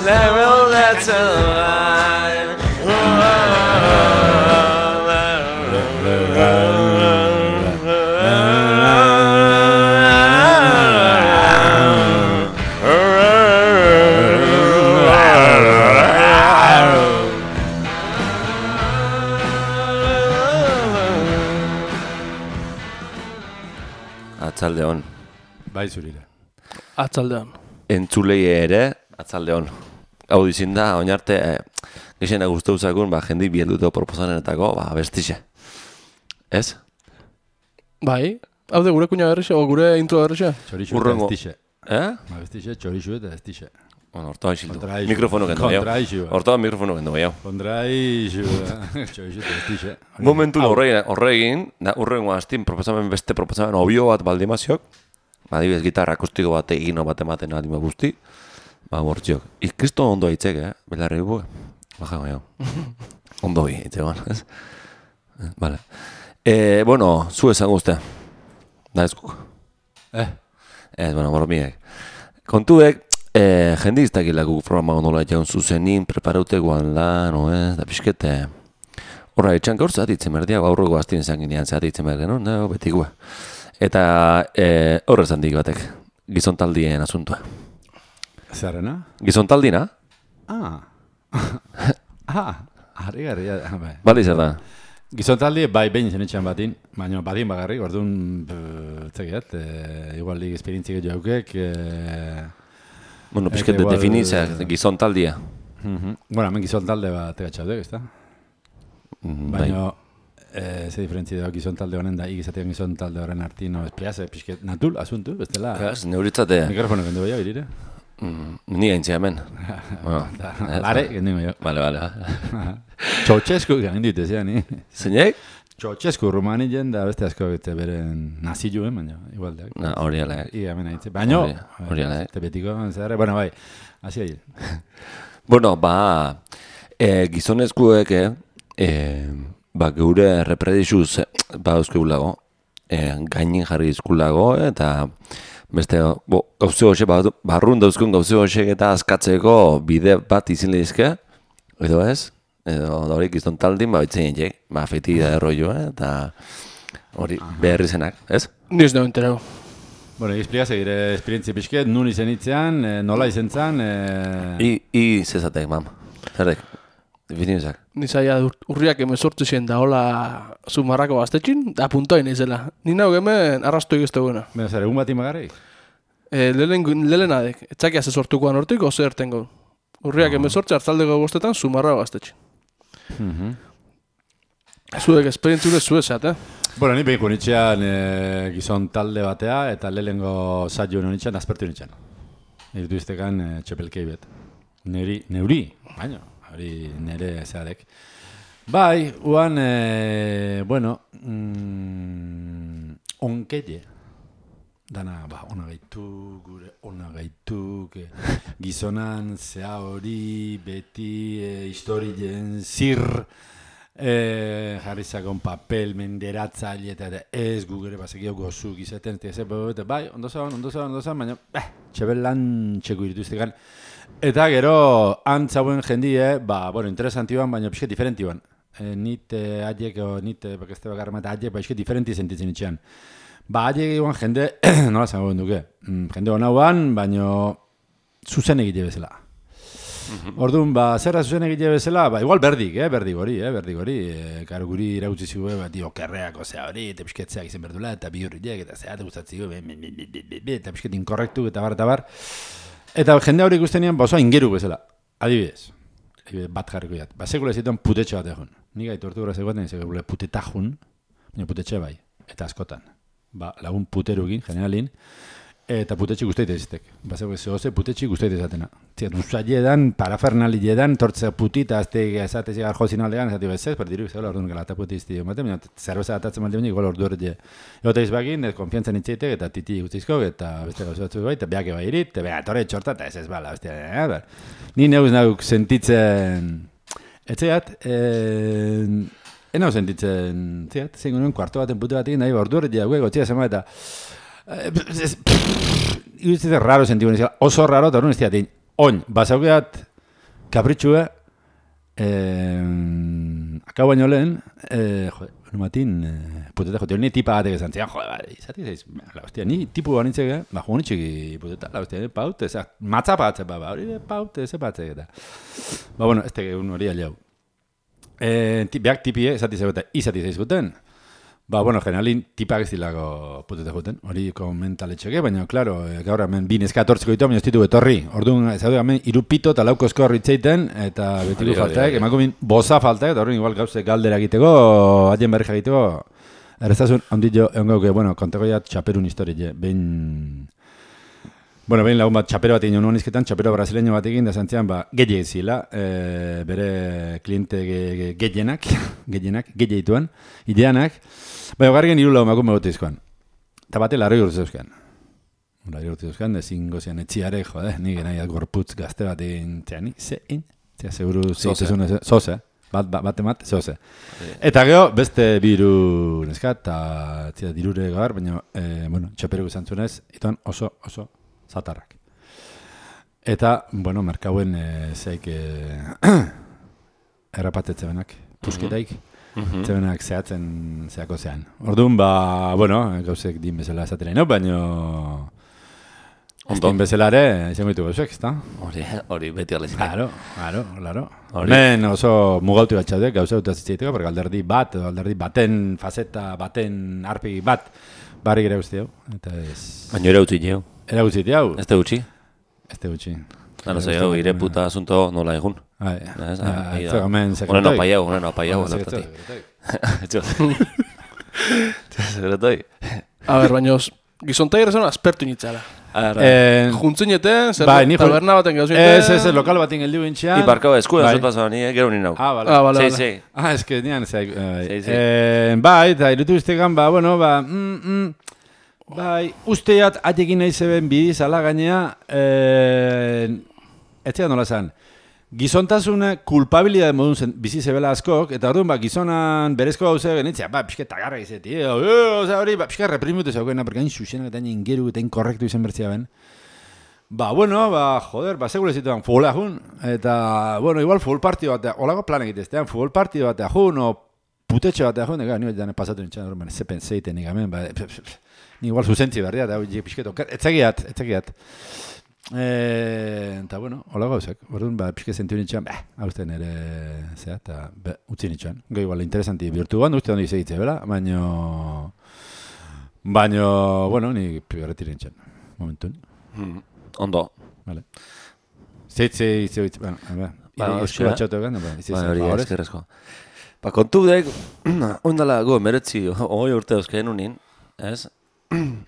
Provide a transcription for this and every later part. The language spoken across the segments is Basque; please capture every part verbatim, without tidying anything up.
level that's alive. Atzaldeon. Bai zurira. Atzaldeon. Entzulei ere, atzaldeon. Hau dizin da, oinarte, eh, gexena guztu zakun, ba, jendik bielduto proposanetako, ba, bestixe. Ez? Bai, hau de gure kuña berrixe, o gure intro berrixe? Txorixu eta Urrengo. estixe. Eh? Ba, bestixe, txorixu eta estixe. Bueno, hortoa isildu. Kontraixu. Mikrofono kendu gehiago. Kontraixu. Hortoa mikrofono kendu gehiago. Kontraixu, txorixu eta estixe. Momentu horregin, horregin, da, urrengo hastin proposamen beste proposamen obio bat baldimaziok, adibidez gitarra akustiko bat egino bat ematen adima guzti, ba, bortziok. Ikristo ondo hitzek, eh? Belarri buke. Baja gehiago. Ondo hi, hitze ban, ez? Vale. Eh, bueno, zu esan guztia. Da ezkuk. Eh? Ez, bueno, bormiek. Kontuek, eh, jendik iztakilako programa gondola jaun zuzenin, preparaute guan lan, no ez, da pixkete. Horra, etxan gaur zatitzen berdia, gaurroko hastien izan ginean zatitzen behar genuen, no, betikua. Eta eh, horrez handik batek, gizontaldien asuntua. Zerrena? Gizontaldina? Ah. ah, harri garri. Bai. Bali zer da? Gizontaldi, bai, behin zen etxean batin, baina badin bagarrik, orduan, zekiat, e, igual lik esperientzik jaukek. E, Bueno, pixket igual, definitzea, gizontaldia. uh-huh. Bueno, hemen gizontalde bat egatxaudek, ez da? Mm, bai. Baina, e, ze diferentzi da gizontalde honen da, ikizatean gizontalde horren artino, espliaze, pixket, natul, asuntu, bestela. Ez, neuritzate, Mikrofono kendu behar, irire? mm, ni gaintzea hemen. Bueno, ez, Lare, kendu behar. Vale, vale. Txotxesku garen dituz, ja, ni? Zeinek? Txotxesku rumani jen da beste asko bete beren naziluen, baina igual da. Na, hori ala. Ia hemen haitze. Baina, Hori- hori ala, eh? Te betiko, zerre, bueno, bai, hasi ahi. Bueno, ba, e, gizonezkuek, eh, e, ba, geure repredizuz, ba, euskegulago, e, gainin jarri izkulago, eta beste, bo, gauze hoxe, ba, barrun dauzkun gauze hoxek eta askatzeko bide bat izin lehizke, edo ez? Edo hori gizontaldin, ba, bitzen jek, ba, feti da erroio, eh, eta hori beharri zenak, ez? Ni ez da enterau. Bueno, explica segire esperientzia pixket, nun izen itzean, e, nola izen zan, e... I, i zezatek, mam. Zerrek, definizak. Ni zaila urriak emezortzu zien da hola zumarrako gaztetxin, da puntoin izela. Ni nago hemen arrastu egizte guena. Beno, zer, egun bat imagarrik? E, lehen adek, etzakia ze sortukoan hortik, oso erten gau. Urriak emezortzu hartzaldeko bostetan zumarrako gaztetxin. Uh-huh. Zuek esperientzure zuezat, eh? Bueno, ni behiko nitxean e, gizon talde batea, eta lehengo saio nitxean, aspertu nitxean. Irtu iztekan e, txepelkei bet. Neuri, neuri, baina, hori nere zeadek. Bai, uan, e, bueno, mm, onkelle. Dana, ba, ona gaitu, gure ona gaitu, que, gizonan, zea hori, beti, e, historien, zir, e, jarri zakon papel, menderatzaile, eta ez gu gure bazekio gozu gizaten, eta bai, ondo zaun, ondo zaun, ondo zaun, baina, eh, txebel lan txeko irituztekan. Eta gero, antzauen jendie, ba, bueno, interesantioan, baina pixket diferentioan. E, nite, haiek, o nite, bakazte bakarra eta haiek, ba, pixket diferenti sentitzen itxean. Ba, haiek eguan jende, nola zango duke, mm, jende hona huan, baina zuzen egite bezala. Orduan, ba, zerra zuzen egite bezala, ba, igual berdik, eh, berdik hori, eh, berdik hori. E, karo guri irautzi zigu, ba, dio, kerreako zea hori, eta pixketzeak izan berdula, eta bi hurriek, eta zea, eta gustatziko, eta pixket inkorrektu, eta bar, eta bar. Eta jende hori ikustenean, ba, osoa ingeru bezala, adibidez. Bat jarriko jat. Ba, sekula zituan putetxe bat egon. Nik gaitu hortu gura zegoetan, sekula putetajun, baina putetxe bai, eta askotan. Ba, lagun puterukin, generalin, eta putetxe guztaite ezitek. Ba, zegoze putetxe guztaite ezatena. Zia, duzaile edan, parafernali edan, tortzea putita, azte ezate zigar jozin aldegan, ezati bezez, perdiru, zegoela orduan gala eta puti izti ematen, baina zerbeza atatzen malde igual ordu horret Egote izbakin, ez konfiantzan itzeitek, eta titi guztizkok, eta beste gauza batzuk bai, eta beake bai irit, eta beha, torre txorta, eta ez ez bala, beste, eh, ni neuz nauk sentitzen, etxeat, eh, enau sentitzen, ziat, zein nuen kuarto baten pute batekin, nahi, ordu horret jague, gotxia zema, eta iruditzen raro sentitzen, oso raro, eta orduan ez diatein, oin, basaukeat, kapritxue, eh, akau baino lehen, eh, jo, numatin, eh, puteta jote, ni tipa batek esan zian, jo, ba, izati zaiz, la hostia, ni tipu banitzek, ba, jo, nitxiki puteta, la hostia, paute, eza, matza patzek, ba, ba, hori paute, ze patzek, eta. Ba, bueno, ez teke un hori aliau. Eh, beak tipie, esati zaiz, izati zaiz guten, ba, bueno, generalin tipak ez dilako putete joten, hori komentaletxeke, baina, klaro, gaur hemen bi neska atortziko ditu, baina ez ditu etorri. Orduan, ez dut hemen irupito eta laukozko horritzeiten, eta betilu faltaek, emakumin boza faltaek, eta horren igual gauze galdera egiteko, adien berri egiteko, errezazun, ondillo, egon gauke, bueno, konteko ja txaperun historie, behin... Bueno, behin lagun bat txapero bat egin nuen izketan, txapero brasileño bat egin, da zantzian, ba, gehiek zila, e, bere kliente ge, gehienak, gehienak, gehietuen, ideanak, bai, ogarrigen hiru lau emakume bote izkoan. Eta bate, larroi urte zeuzkan. Larroi urte zeuzkan, dezin gozian etxiare, jode, nik nahi gorputz gazte bat egin, zera, nik, zein, zera, seguru, zeitezun, zoze, bat, bat, bat emat, zoze. Eta geho, beste biru neskat, eta zera, dirure gaur, baina, e, bueno, txapero guzantzunez, ituan oso, oso, zatarrak. Eta, bueno, merkauen e, zeik e, errapatetze benak, pusketaik, mm-hmm. zebenak zehatzen zeako zean. Orduan, ba, bueno, gauzek din bezala esatera ino, baino ez din bezala ere, izango ditu gauzek, ezta? Hori, hori beti alezik. Claro, claro, claro. Hemen oso mugauti bat txaudek, gauza dut azitzeiteko, porque alderdi bat, edo alderdi baten faceta, baten arpegi bat, barri gira guzti hau. Baina ere utzi jau. Era gutxiti hau? Ez te gutxi? Ez te gutxi. Ano zei hau, ire puta asunto nola egun. Ai, ez gomen sekretoi. Honen apaiau, honen apaiau. Sekretoi. A ber, baina gizontai errezan aspertu initzara. Juntzineten, zer taberna baten gauzinen. Ez, ez, lokal baten geldiu gintxean. Iparkau eskuen zutazan, ni gero nina hau. Ah, bale. Ah, bale, bale. Ah, ez que nian, zeik. Bai, eta irutu iztegan, ba, bueno, ba, mm, mm, bai, usteat atekin nahi zeben bidiz ala gainea, eh, etzea nola zan, gizontasune kulpabilidade modun zen, bizi zebela askok, eta orduan, ba, gizonan berezko gauze genitzea, ba, pixka tagarra izeti, e, oza hori, ba, pixka reprimitu zaukena, porque hain xuxenak eta hain ingeru eta hain korrektu izan bertzea ben. Ba, bueno, ba, joder, ba, segure zituan futbola jun, eta, bueno, igual futbol partio batea, olako plan egiteztean, futbol partio batea jun, o putetxe batea jun, ega, nire jane pasatu nintxan, orduan, zepen zeiten ikamen, ba, ni igual zuzentzi berria, eta hau pixketo, etzagiat, etzagiat. Eta, bueno, hola gauzak, orduan, ba, pixke zentiu nintxan, bah, hau uste nire, zera, eta, utzi nintxan. Go, igual, interesanti bihurtu guan, uste hondi segitze, bela, baino, baino, bueno, ni pigarretir nintxan, momentun. Mm, ondo. Vale. Zeitze, zeitze, bueno, ba, esku batxotu egan, ba, izizan, ba, hori eskerrezko. Ba, kontu dek, ondala, go, meretzi, hoi urte euskeen unin, ez?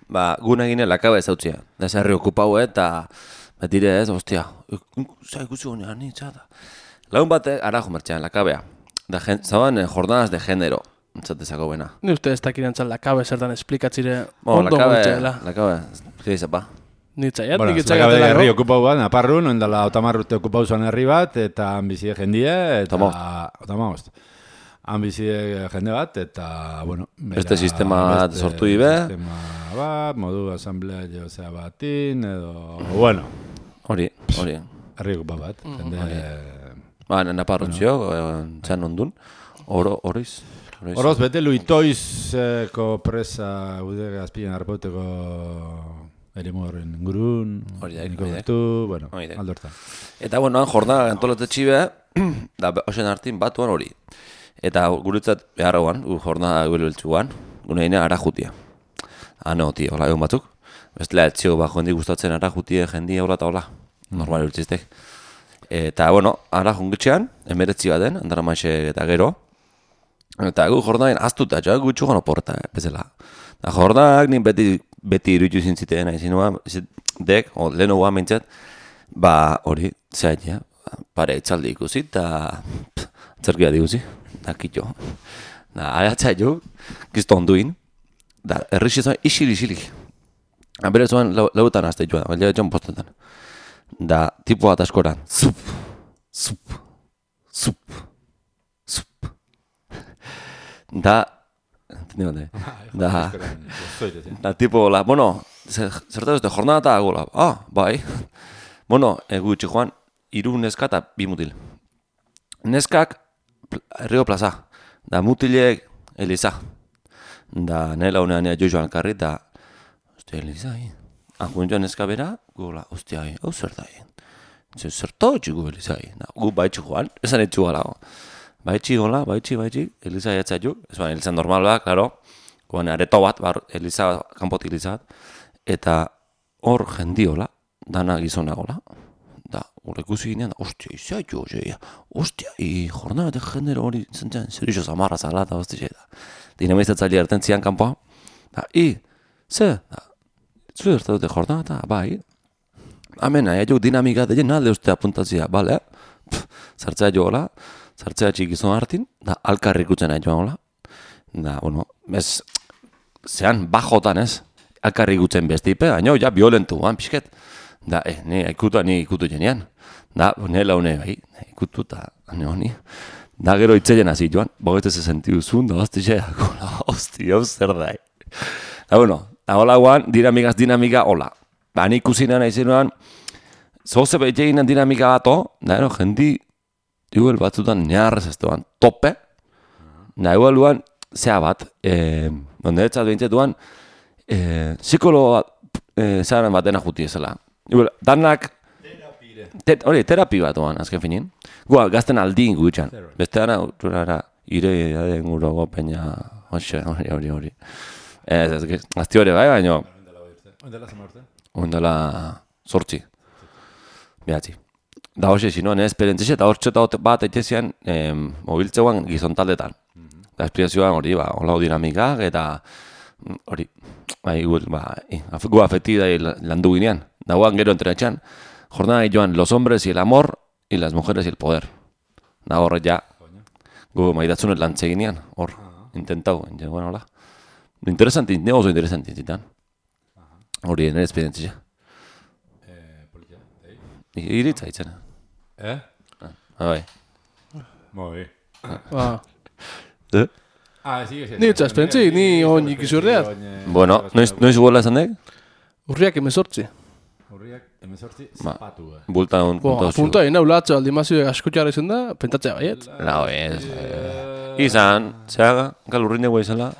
Ba, guna gine lakaba ez hautzia. Da zerri okupau eta betire ez, ostia, zai gutxi honean nintza da. Lagun bate, arajo mertxean, lakabea. Da, zaban, jornadas de género, entzatezako buena. Ni uste ez dakiren txal lakabe zertan esplikatzire bueno, ondo gutxela. Lakabe, lakabe, zapa. Nitzaiat, bueno, nik itxagatela. Bueno, herri okupau bat, naparrun, ondala otamarrute okupau zuen herri bat, eta ambizide jendie, eta otamagost. Ambizide jende bat, eta, bueno... Beste sistema bat sortu ibe. Sistema bat, modu asamblea jozea batin, edo... Bueno. Hori, hori. Herri okupau bat, jende... Ba, naparrutxio, txan ondun. Oro, horiz. Horoz, bete luitoizko presa gude azpilen arpauteko eremu horren ingurun, niko bertu, bueno, aldortan. Eta, bueno, han jornada antolate txibe, da, osen hartin batuan hori. Eta guretzat beharroan, gu jornada gueleltzuan, gune hine arajutia. Ano, tio, hola egon batzuk. Bestela, etxio, ba, jondi gustatzen arajutie jendia hola eta hola. Normal urtziztek. Eta, bueno, arajungitxean, emeretzi baten, andara maixe eta gero. Eta gu jornaden aztuta, jo, gu txugan oporta, bezala. Da jornadak nik beti, beti irutu zintzitean, izin nua, dek, o, leheno guan mintzat, ba, hori, zehain, ja, pare itzaldi ikusi, eta zerkia diguzi. Da, kitxo. Da, aiatzai jo, gizto onduin. Da, errixi zuen isili-isilik. Bere zuen lautan azte joan, baina joan postetan. Da, tipo bat askoran. Zup, zup, zup, zup. Da, entendido, ne? Da, da, tipo, la, bueno, zertaz este jornada eta gola. Ah, bai. Bueno, egu itxi joan, hiru neska eta bi mutil. Neskak Rio Plaza, da mutilek Eliza. Da nela honean ea joan karri, da, ostia, Eliza, hi. Akun joan neska bera, gola, ostia, hi, hau zer da, hi. Zerto txigu Eliza, hi. Da, gu baitxi joan, esan etxu galago. Baitxi gola, baitxi, baitxi, Eliza jatza ju, ez ba, Eliza normal ba, klaro, goan areto bat, bar, Eliza, kanpotik Eliza bat, eta hor jendiola, dana gizona gola. Da, hor ikusi ginean, ostia, izia jo, zeia, ostia, i, jornada genero hori, zentzen, zer iso zamarra zala, eta ostia, da. Dinamizatzaile erten zian kanpoa, da, i, ze, da, zu erta dute jornada, eta, bai, amena, ja jo, dinamika deien alde ustea apuntatzia, bale, zartzea jo hola, zartzea txikizun hartin, da, alkarrik utzen nahi joan hola, da, bueno, ez, zean, bajotan ez, alkarrik utzen bestipe, baina, ja, violentu, han, pixket, da, eh, ni ikutu, ni ikutu jenean. Da, nela hone, bai, ikutu eta, hane honi. Da, gero itzelen hasi joan, bogetze ze sentiu zuen, da, hosti xe, hola, hosti, hau zer da, eh. Da, bueno, da, hola guan, dinamikaz dinamika, hola. Ba, ni ikusinan aizenuan, zoze behitzeginan dinamika bato, da, ero, jendi, igual batzutan neharrez ez duan, tope, da, igual duan, zea bat, eh, donde etzat behintzetuan, eh, psikologa, eh, zearen batena juti ezela. Igual, danak, te, hori, terapi bat oan, azken finin. Gua, gazten aldin gutxan. Beste dana, urara, ire, ade, guro, gopeina, hoxe, hori, hori, hori. Ez, ez, azti hori bai, baina... Oindela zama urte? Oindela sortzi. Behatzi. Da hoxe, zinoan, ez, perentzixe, eta hor txota bat eitzezian, eh, mobiltzeuan gizontaldetan. Da, esplikazioan hori, ba, hola dinamikak, eta hori, bai, ba, gu afetida landu ginean. Dagoan gero entrenatxan, jornada joan los hombres y el amor y las mujeres y el poder. Da horre ja, gu maidatzunet lantze ginean, hor, intentau, ja, bueno, hola. Interesanti, ne oso interesanti zitan. Hori, nire esperientzia. Eh, politia, ei? Iritza itzena. Eh? Ah, bai. Moi. Ba, Eh? Ah, sigue, sigue. Ni itzaz pentsi, ni on ikizurdeat. Bueno, noiz, noiz guela esan dek? Urriak emezortzi. Urriak, emezortzi, Ba. zapatu. eh. Bulta un Bo, punto apunta egin, latzo aldimazio askutxara izan da, pentatzea baiet. La ez. eh, Izan, zeaga, galurrin dugu izala.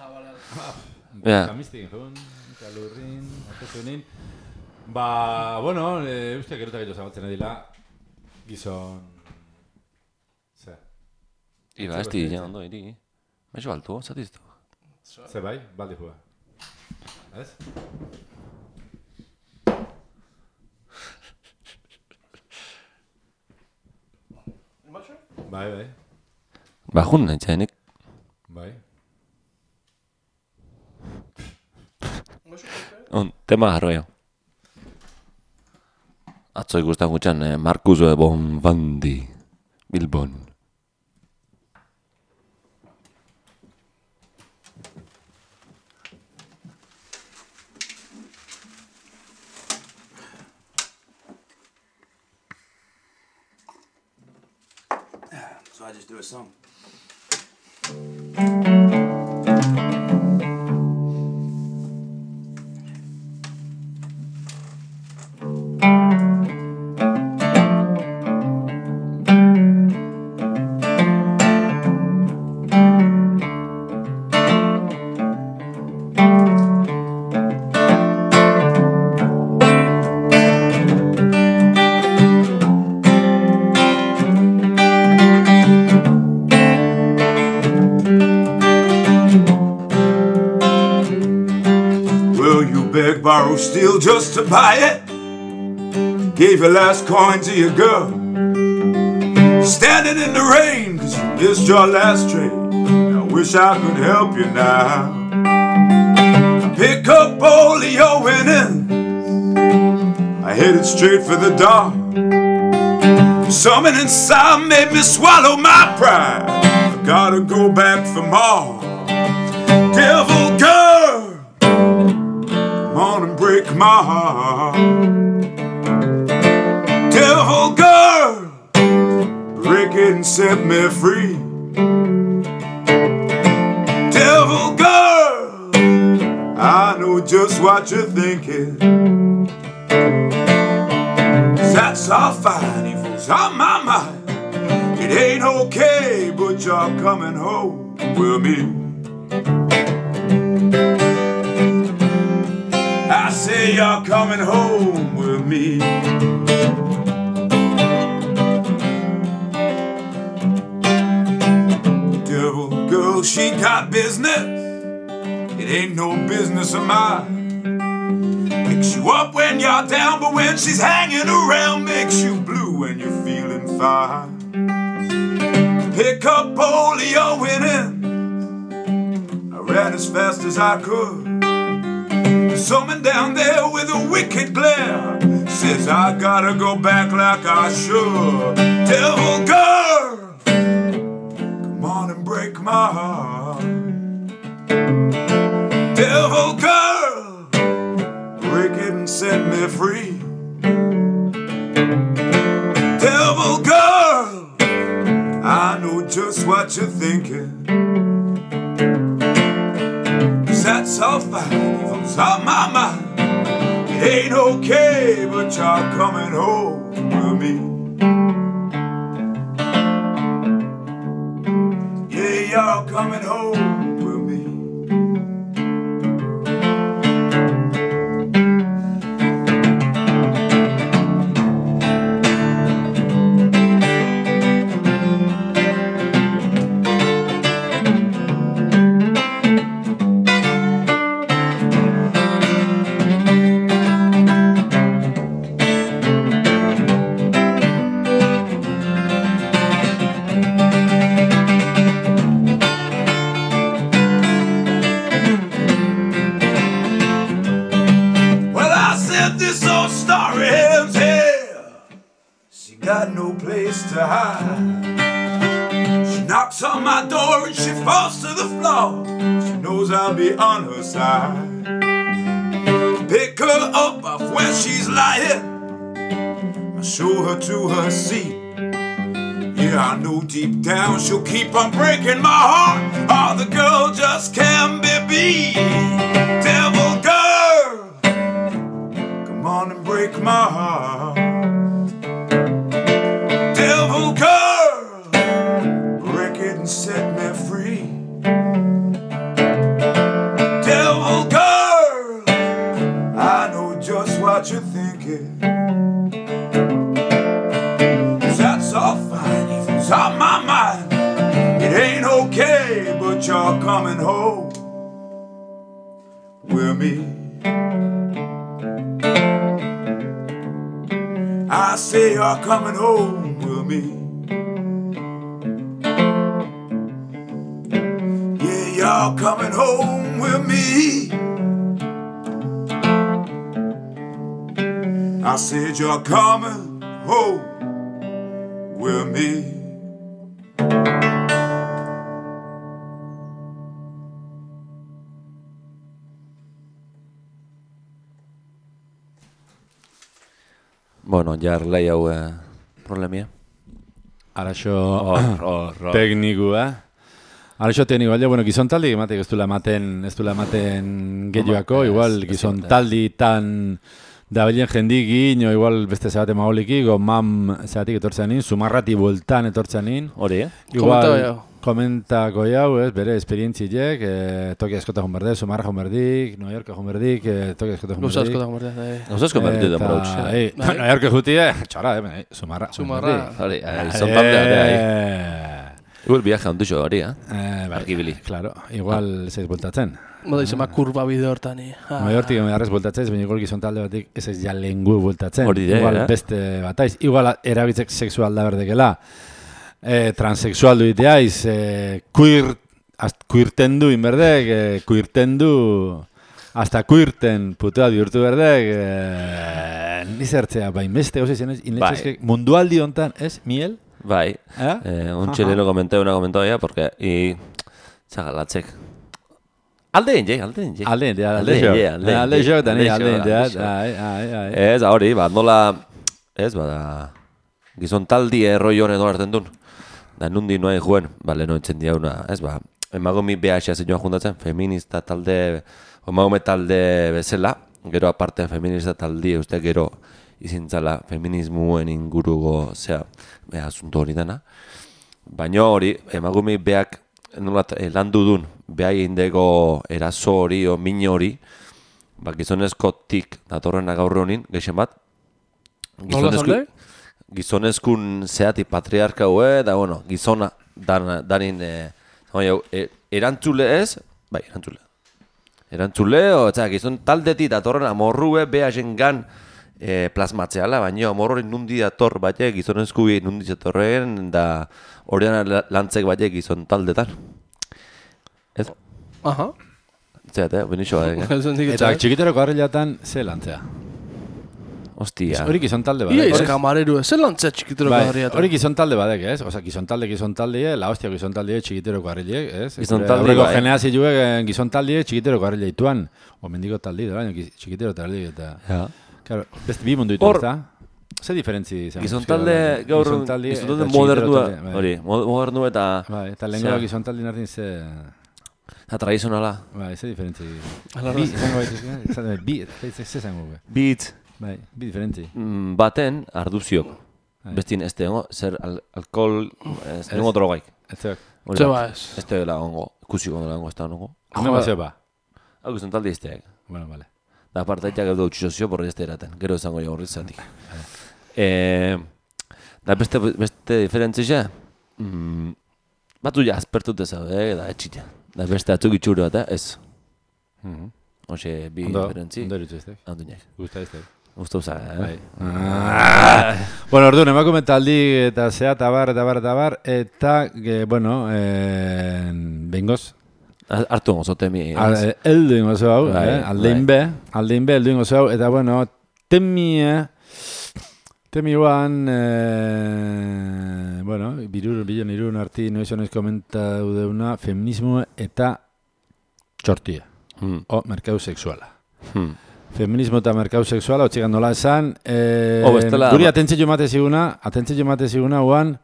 Ja. Kamistik, jun, kalurrin, atezunin. Ba, bueno, e, uste gerutak edo zabaltzen edila, gizon... Ze? Iba, ez di, ja, ondo, iri. Meixo altu, zatiztu. Ze bai, baldi jua. Ez? Bai, bai, Ba, jun, nahi txainik. bai. On, tema jarroia. Atzo ikustan gutxan, eh, Marcus Bonfandi, Bilbon. So I just do a song. Borrow, steal just to buy it. Gave your last coin to your girl. Standing in the rain cause you missed your last train. I wish I could help you now. I pick up all of your winnings. I headed straight for the dark. Something inside made me swallow my pride. I gotta go back for more. Devil girl, on and break my heart. Devil girl, break it and set me free. Devil girl, I know just what you're thinking. That's how fine evil evil's on my mind. It ain't okay, but you're coming home with me. I say you're coming home with me. Devil girl, she got business. It ain't no business of mine. Picks you up when you're down, but when she's hanging around, makes you blue when you're feeling fine. Pick up polio winning. I ran as fast as I could. Someone down there with a wicked glare says I gotta go back like I should. Devil girl, come on and break my heart. Devil girl, break it and set me free. Devil girl, I know just what you're thinking. 'Cause that's all fine, evil's on my mind. It ain't okay, but you're coming home with me. Yeah, you're coming home with me. Got no place to hide. She knocks on my door and she falls to the floor. She knows I'll be on her side. Pick her up off where she's lying. I show her to her seat. Yeah, I know deep down she'll keep on breaking my heart. Oh, the girl just can't be beat. Devil girl, come on and break my heart. Devil girl, break it and set me free. Devil girl, I know just what you're thinking. 'Cause that's all fine, evil's on my mind. It ain't okay, but you're coming home with me. I say you're coming home with me. Yeah, you're coming home with me. I said you're coming home with me. Bueno, jar lei hau eh, problemia. Araxo Hor, hor, hor. teknikua. Araxo teknikua, bueno, gizon taldi ematek ez duela ematen, ez duela ematen gehiago, igual gizon taldi tan dabilen jendik o igual beste zabate maoliki, gomam zabatik etortzen nin, sumarrati bueltan etortzen nin. Hori, eh? Igual, komentako jau, ez, bere esperientziek, eh, Tokia eskota jonberdik, Sumarra jonberdik, New York jonberdik, eh, Tokia eskota jonberdik. Gauza asko da jonberdik. Gauza asko berdi da brautz. New York jutie, txara, eh, Sumarra. Sumarra. Hori, izan taldea da, eh? Igual viaja ondutxo hori, eh? Eh, bai, Argibili. claro, igual zeiz bultatzen. Moda izema kurba bide hortan. New Yorktik emarrez bultatzen, baina igual gizon talde batik ez ez ja lengu bultatzen. Hori da, igual eh? beste bataiz. Igual erabitzek sexual da berdekela. Eh, transexual duiteaiz, eh, queer, queerten du inberdek, eh, queerten du, hasta queerten putea bihurtu berdek, eh, nizertzea, bain beste gauza izan ez, inletxezke, mundualdi hontan, ez, miel? Bai, eh? eh, un chileno comenté una comentaria porque, y, txagalatzek, alde inge, alde inge. Alde inge, alde inge, inge, alde alde inge, alde inge, alde alde inge. ai, ai, ai. Ez, hori, bat nola, ez, bada, gizon taldi erroi honen dolarten duen. Da, nundi noain juen, bale, no entzen diauna, ez, ba, emagomi B H zen joan juntatzen, feminista talde, emagume talde bezala, gero aparte feminista taldi, uste gero izintzala feminismuen inguruko zea e, asunto hori dena. Baina hori, emakume beak nola e, landu dun, behai indeko eraso hori o min hori, ba, gizonezkotik datorrena gaur honin, geixen bat. Gizonezku, gizonezkun zeati patriarka hue, da bueno, gizona dan, danin e, e, erantzule ez, bai, erantzule. Erantzule, o, eta gizon taldeti datorrena morrue beha jengan e, plasmatzeala, baina amor hori nundi dator batek, gizonezkui nundi datorren, da horrean lantzek batek gizon taldetan. Ez? Aha. Zeat, eh? Benixo batek, eh? Eta txikiteroko harrilatan ze lantzea. Ostia. Hori gizon talde Ia badek. ez kamareru, ez lantzea txikiteroko Bai, harriatan. hori gizon talde badek, ez? Osa, gizon talde, gizon talde, la hostia gizon talde txikiteroko harrilek, ez? Gizon Gure talde, aurreko bai. generazioek gizon talde txikiteroko harrilek ituan. O mendiko talde, da, baina txikitero talde eta... Ja. Claro, beste bi mundu ditu, Hor- ezta? Ze diferentzi izan? Gizon talde gaur, Gizon talde gizon eta talde txikitero modernua, talde, bai. hori, mo- modernu eta, Bai, eta lehenko Zea. gizon talde nartin ze... eta tradizionala. Bai, ze diferentzi... Ala, Bi, ala. izango baituzke, izan da, bi, ze ze izango be. Beat Bai, bi diferentzi. mm, baten arduziok. Bai. Bestin ez dengo, zer al, alkohol, ez dengo drogaik. Ez zeok. Hori Zeba da. ez. Ez dela ongo, ikusiko dela ongo, ez da ongo. Hame bat zeba. Hau gizon talde izteak. Bueno, vale. Da partaitak edo utxizozio porri ez da eraten. Gero izango jo horriz zatik. E, da beste, beste diferentzia, mm, batu ja aspertut ezaude, da etxita. Da beste atzuk itxuru bat, eh? ez. Mhm. Hoxe, bi Ondo, diferentzi. ondo eritzu eztek. Handunak. Gusta eztek. Usta usa, eh? Bai. Ah. Bueno, orduan, emakume taldi eta zea, tabar, tabar, tabar, eta, ge, bueno, eh, bengoz, Artu ongo zotemi. eldu ingo zu hau, Bai, eh? aldein be, aldein be, eldu ingo zu hau, eta, bueno, temi, eh? Temi guan, eh, bueno, birur, bilon irun arti, noiz honez komentau deuna, feminismo eta txortia, Hmm. o merkatu sexuala. Hmm. Feminismo eta merkatu sexuala, otxikan nola esan, eh, Oh, bestela- guri atentzio emate ziguna, atentzio emate ziguna guan,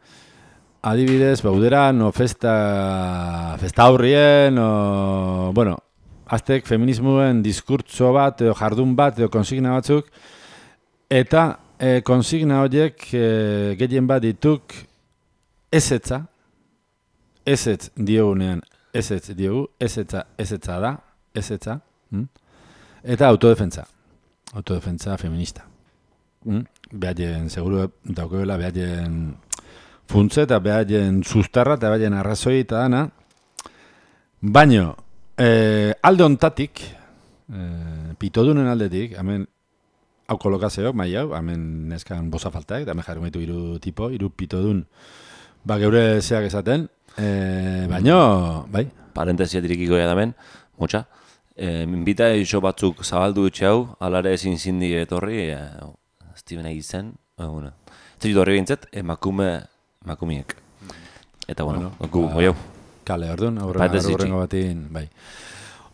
adibidez, bauderan, o festa, festa aurrien, o, bueno, aztek feminismoen diskurtso bat, edo jardun bat, edo konsigna batzuk, eta e, konsigna horiek e, gehien bat dituk ezetza, ezetz diogunean, ezetz diogu, ezetza, ezetza da, ezetza, hm? Eta autodefentza, autodefentza feminista. Hm? Behaien, seguru daukela, behaien funtze eta behaien sustarra eta behaien arrazoi eta dana. Baino, eh, alde ontatik, eh, pitodunen aldetik, hemen hau kolokazioak, mai hau, hemen neskan bosa faltak, hemen jarri maitu hiru tipo, hiru pitodun, ba geure zeak esaten, eh, baino, bai, Parentesia dirikiko ja damen, motxa. E, minbita iso batzuk zabaldu etxe hau, alare ezin zindi etorri, e, Steven Aizen, e, bueno. Ez dut horri bintzet, emakume, emakumiek. Eta bueno, Bueno, gu, ba- goi hau. kale, orduan, Parentesi aurrengo batin, bai.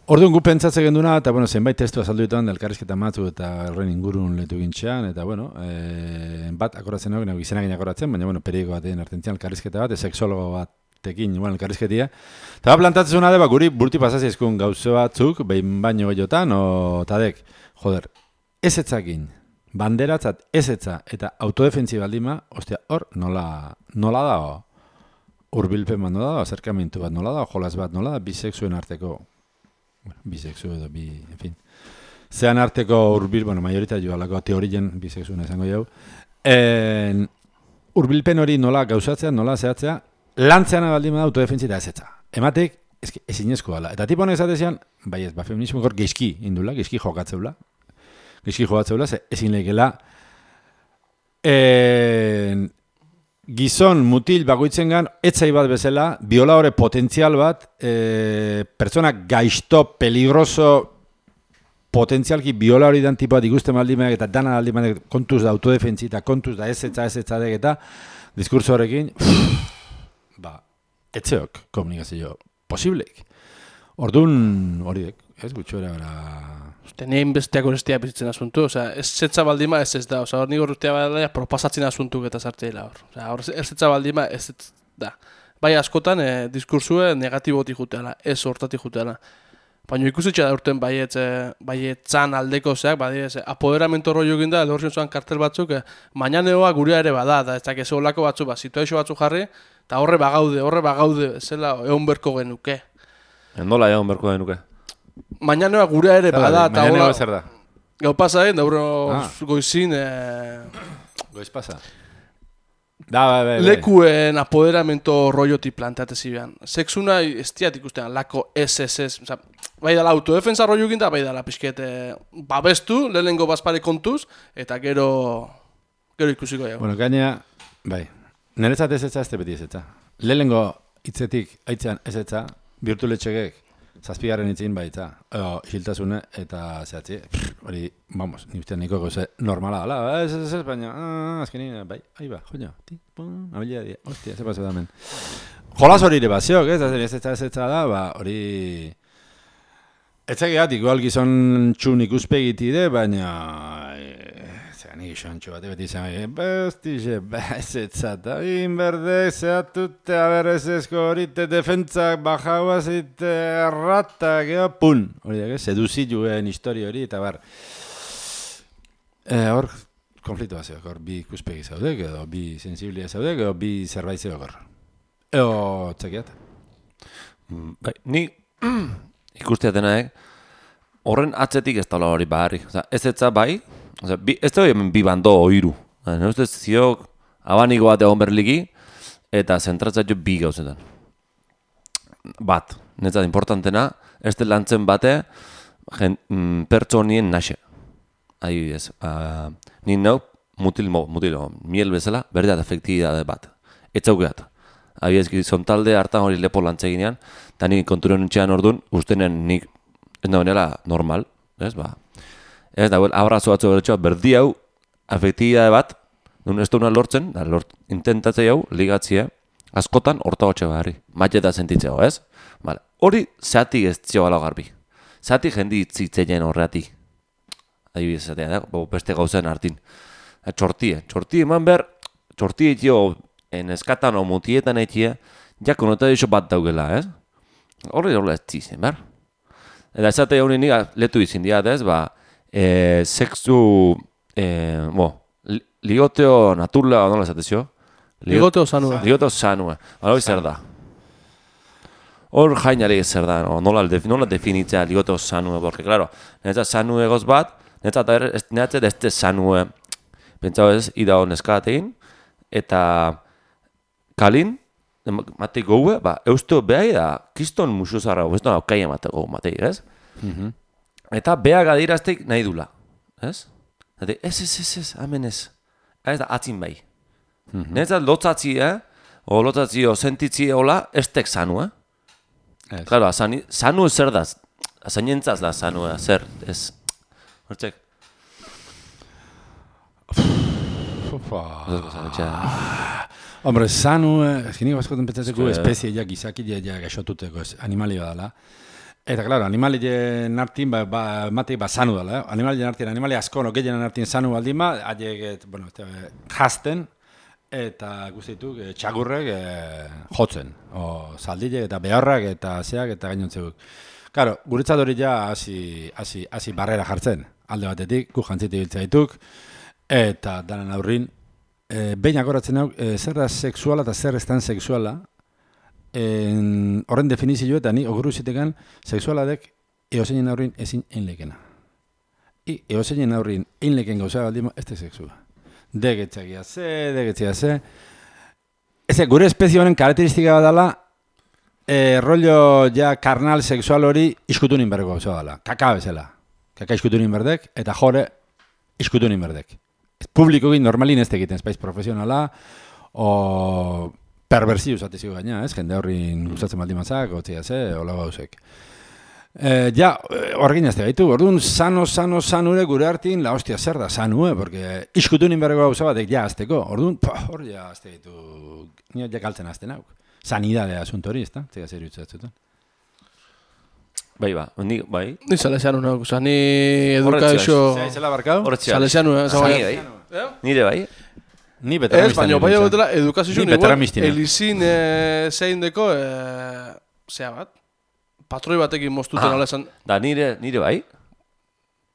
Orduan gu pentsatzen genduna, eta bueno, zenbait testu azaldu dituan, elkarrizketa matzu eta horren ingurun letu gintxean, eta bueno, e, bat akoratzen hau, nago izenakin akoratzen, baina bueno, periodiko batean artentzian elkarrizketa bat, sexologo batekin, bueno, elkarrizketia. Eta bat plantatzen zuna de, ba, guri burti pasazizkun gauze batzuk, behin baino gehiagotan, o tadek, joder, ezetzakin, banderatzat ezetza eta autodefentzi baldima, ostia, hor, nola, nola da, hurbilpen bat nola da, acerkamentu bat nola da, jolas bat nola da, bisexuen arteko, bueno, bisexu edo bi, en fin, zean arteko hurbil, bueno, majorita joalako teorien bisexuen esango jau, en, hurbilpen hori nola gauzatzea, nola zehatzea, lantzean baldin da autodefentzi eta ezetza. Ematek, eske, ezinezko dela. Eta tipo honek esatezian, bai ez, ba, feminismo gor geizki indula, geizki jokatzeula, geizki jokatzeula, ze ezin lehikela, en, gizon mutil bakoitzengan etzai bat bezala, biolahore potentzial bat, e, pertsona gaizto, peligroso, potentzialki biolahori dan tipoa ikusten baldimeak eta dana aldimeak kontuz da autodefentzi eta kontuz da ezetza, ezetza dek eta diskurso horrekin, ba, etzeok komunikazio posibleik. Orduan horiek, ez gutxoera bera... Uste, nein besteak horestia bizitzen asuntu, osea, ez zetza baldima ez ez da, osea, hor nik horretia baldima proposatzen asuntuk eta sartzeela hor. Osea, hor ez zetza baldima ez ez da. Bai askotan, eh, diskursue negatibotik juteala, ez hortatik juteala. Baina ikusitxe da urten baiet, baietzan aldeko zeak, badire, ze, apoderamento rollo egin da, lehorzion zuan kartel batzuk, eh, mañaneoa gurea ere bada, da ez dakizu olako batzu, ba, situazio batzu jarri, eta horre bagaude, horre bagaude, zela egon berko genuke. Endola egon berko genuke. Mañaneoa gurea ere bada, eta Mañaneo hola... zer da? Gau pasa egin, da urro Ah. goizin, eh, Goiz pasa. Da, bai, bai, bai. lekuen apoderamento rollotik planteate zibean. Sexuna ez diat ikustean, lako ez ez ez, oza, bai dala autodefensa rollo egin da, bai dala pixket eh, babestu, lehenengo bazpare kontuz, eta gero, gero ikusiko jau. Bueno, gaina, bai, niretzat ez etza, ez beti ez etza. Lehenengo hitzetik aitzan ez etza, birtuletxegek, zazpigarren hitzin baitza, o, isiltasune eta zehatzi, hori, vamos, ni ustean niko goze normala dala, ez ez ez, baina, ah, azkenin, bai, ahi ba, joño, ti, pum, abilea di, hostia, ze paso da men. Jolas hori ere baziok, ez, ez etza ez etza da, ba, hori... Etzageat, igual gizon txun ikuspegiti de, baina... Nik xontxo bat beti izan, bestixe, ez etzata, inberdek, zehatute, aberrezezko horite, defentzak, bajauazite, erratak, eo, pun! Hori da, seduzituen histori hori, eta bar. Hor, konfliktu bat zeok, hor bi ikuspegi zaudek, edo bi sensiblia zaudek, edo bi zerbait zeok hor. Eo, txekiat. Bai, ni ikusteatena, eh? Horren atzetik ez taula hori baharri. Oza, ez etza bai, oza, bi, ez da hemen bi bando oiru. Ne ustez ziok abaniko bat egon berliki eta zentratzatio bi gauzetan. Bat, netzat importantena, ez da lantzen bate jen, mm, pertsonien naxe. Adibidez, uh, ni nau mutil, mo, mutil, miel bezala, berdeat efektibidade bat. Ez zaukeat. Adibidez, gizontalde hartan hori lepo lantzeginean, eta nik konturen nintxean orduan, ustenen nik ez da benela normal, ez, ba. Ez da, abrazo batzu bertxoa, berdi hau, afektibidade bat, nun ez duna lortzen, da, lort, intentatzei hau, ligatzea, askotan horta hotxe barri, matxeta sentitzeo, ez? Vale. Hori, zeatik ez zio gala garbi. Zeatik jendi itzitzeien horreatik. Adibidez, zatea, da, beste gauzen hartin. Txortie, txortie eman behar, txortie etxio, eskatan o mutietan etxia, ja konotadixo bat daugela, ez? Horri horrela ez zizen, behar? Eta esate hori nik letu izin diat, ez, ba, e, sexu, e, bo, li, ligoteo naturla, nola esatezio? Ligoteo zanua. Ligoteo zanua, ba, hori zer da. Hor jainari zer da, no? nola, nola definitzea ligoteo zanua, porque, claro, netzat zanue egoz bat, netzat netzat ez ez zanue, pentsau ez, ida neskatein, eta kalin, matei goue, ba, eusto behai da, kiston musuzarra, ez da, aukai emateko matei, ez? Mhm. Eta beha gadiraztek nahi dula, ez? Eta ez, ez, ez, ez, amen ez. Ez da, atzin bai. Mhm. Netzat lotzatzi, eh? O lotzatzi, o sentitzi hola, ez tek zanu, eh? Ez. Claro, azani, zanu zer da, azanientzaz da zanu, eh? Zer, ez. Hortzek. Ufa. Oso zanetxea. Hombre, zanu, ezkinik baskoten pentsatzeko Eske- espezie ja, gizakile ja gaixotuteko animalia dela. Eta, claro, animalien artin, ba, ba, matei, ba, zanu dela, eh? Animalien artin, animalia asko, no, gehienen artin zanu baldin ba, haiek, bueno, este, jasten, eta guztituk, e, txagurrek e, jotzen, o zaldilek eta beharrak eta zeak eta gainontzeguk. Claro, guretzat hori ja hasi hasi hasi barrera jartzen, alde batetik, gu jantzite biltza dituk, eta danan aurrin, e, behin akoratzen hau, e, zer da sexuala eta zer estan sexuala, en, horren definizio eta ni oguru zitekan, sexualadek eozeinen aurrin ezin einlekena. I eozeinen aurrin einleken gauza baldima, ez da sexua. Degetzagia ze, degetzagia ze. Ez, gure espezie honen karakteristika bat dela, e, rollo ja karnal sexual hori iskutunin berreko gauza dela. Kaka bezala. Kaka iskutunin berdek, eta jore iskutunin berdek. Publikokin normalin ez egiten, espaiz profesionala, o perversiu zatizio gaina, ez? Jende horrin gustatzen baldin mazak, gotzia ze, hola gauzek. Eh, ja, horrekin azte gaitu, orduan, sano, sano, sanure gure hartin, la hostia zer da, sanue, porque iskutunin berreko gauza batek ja azteko, orduan, hor ja azte gaitu, nio ja kaltzen azten hau. Sanidade asunto hori, ez da? Zega zer jutzatzen. Bai, ba, ni, bai. Ni salesiano nago, oza, ni eduka Horretzea, iso... Zea izela barkau? Horretzea. Salesiano, eh? Zagi, Zagi, bai. Nire bai. Ni Ez, betaramistan. baina bai egotela edukazio Ni igual, betaramistina. elizin eh, zein deko, eh, zea bat, patroi batekin moztuten Ah, ala esan. Da nire, nire bai?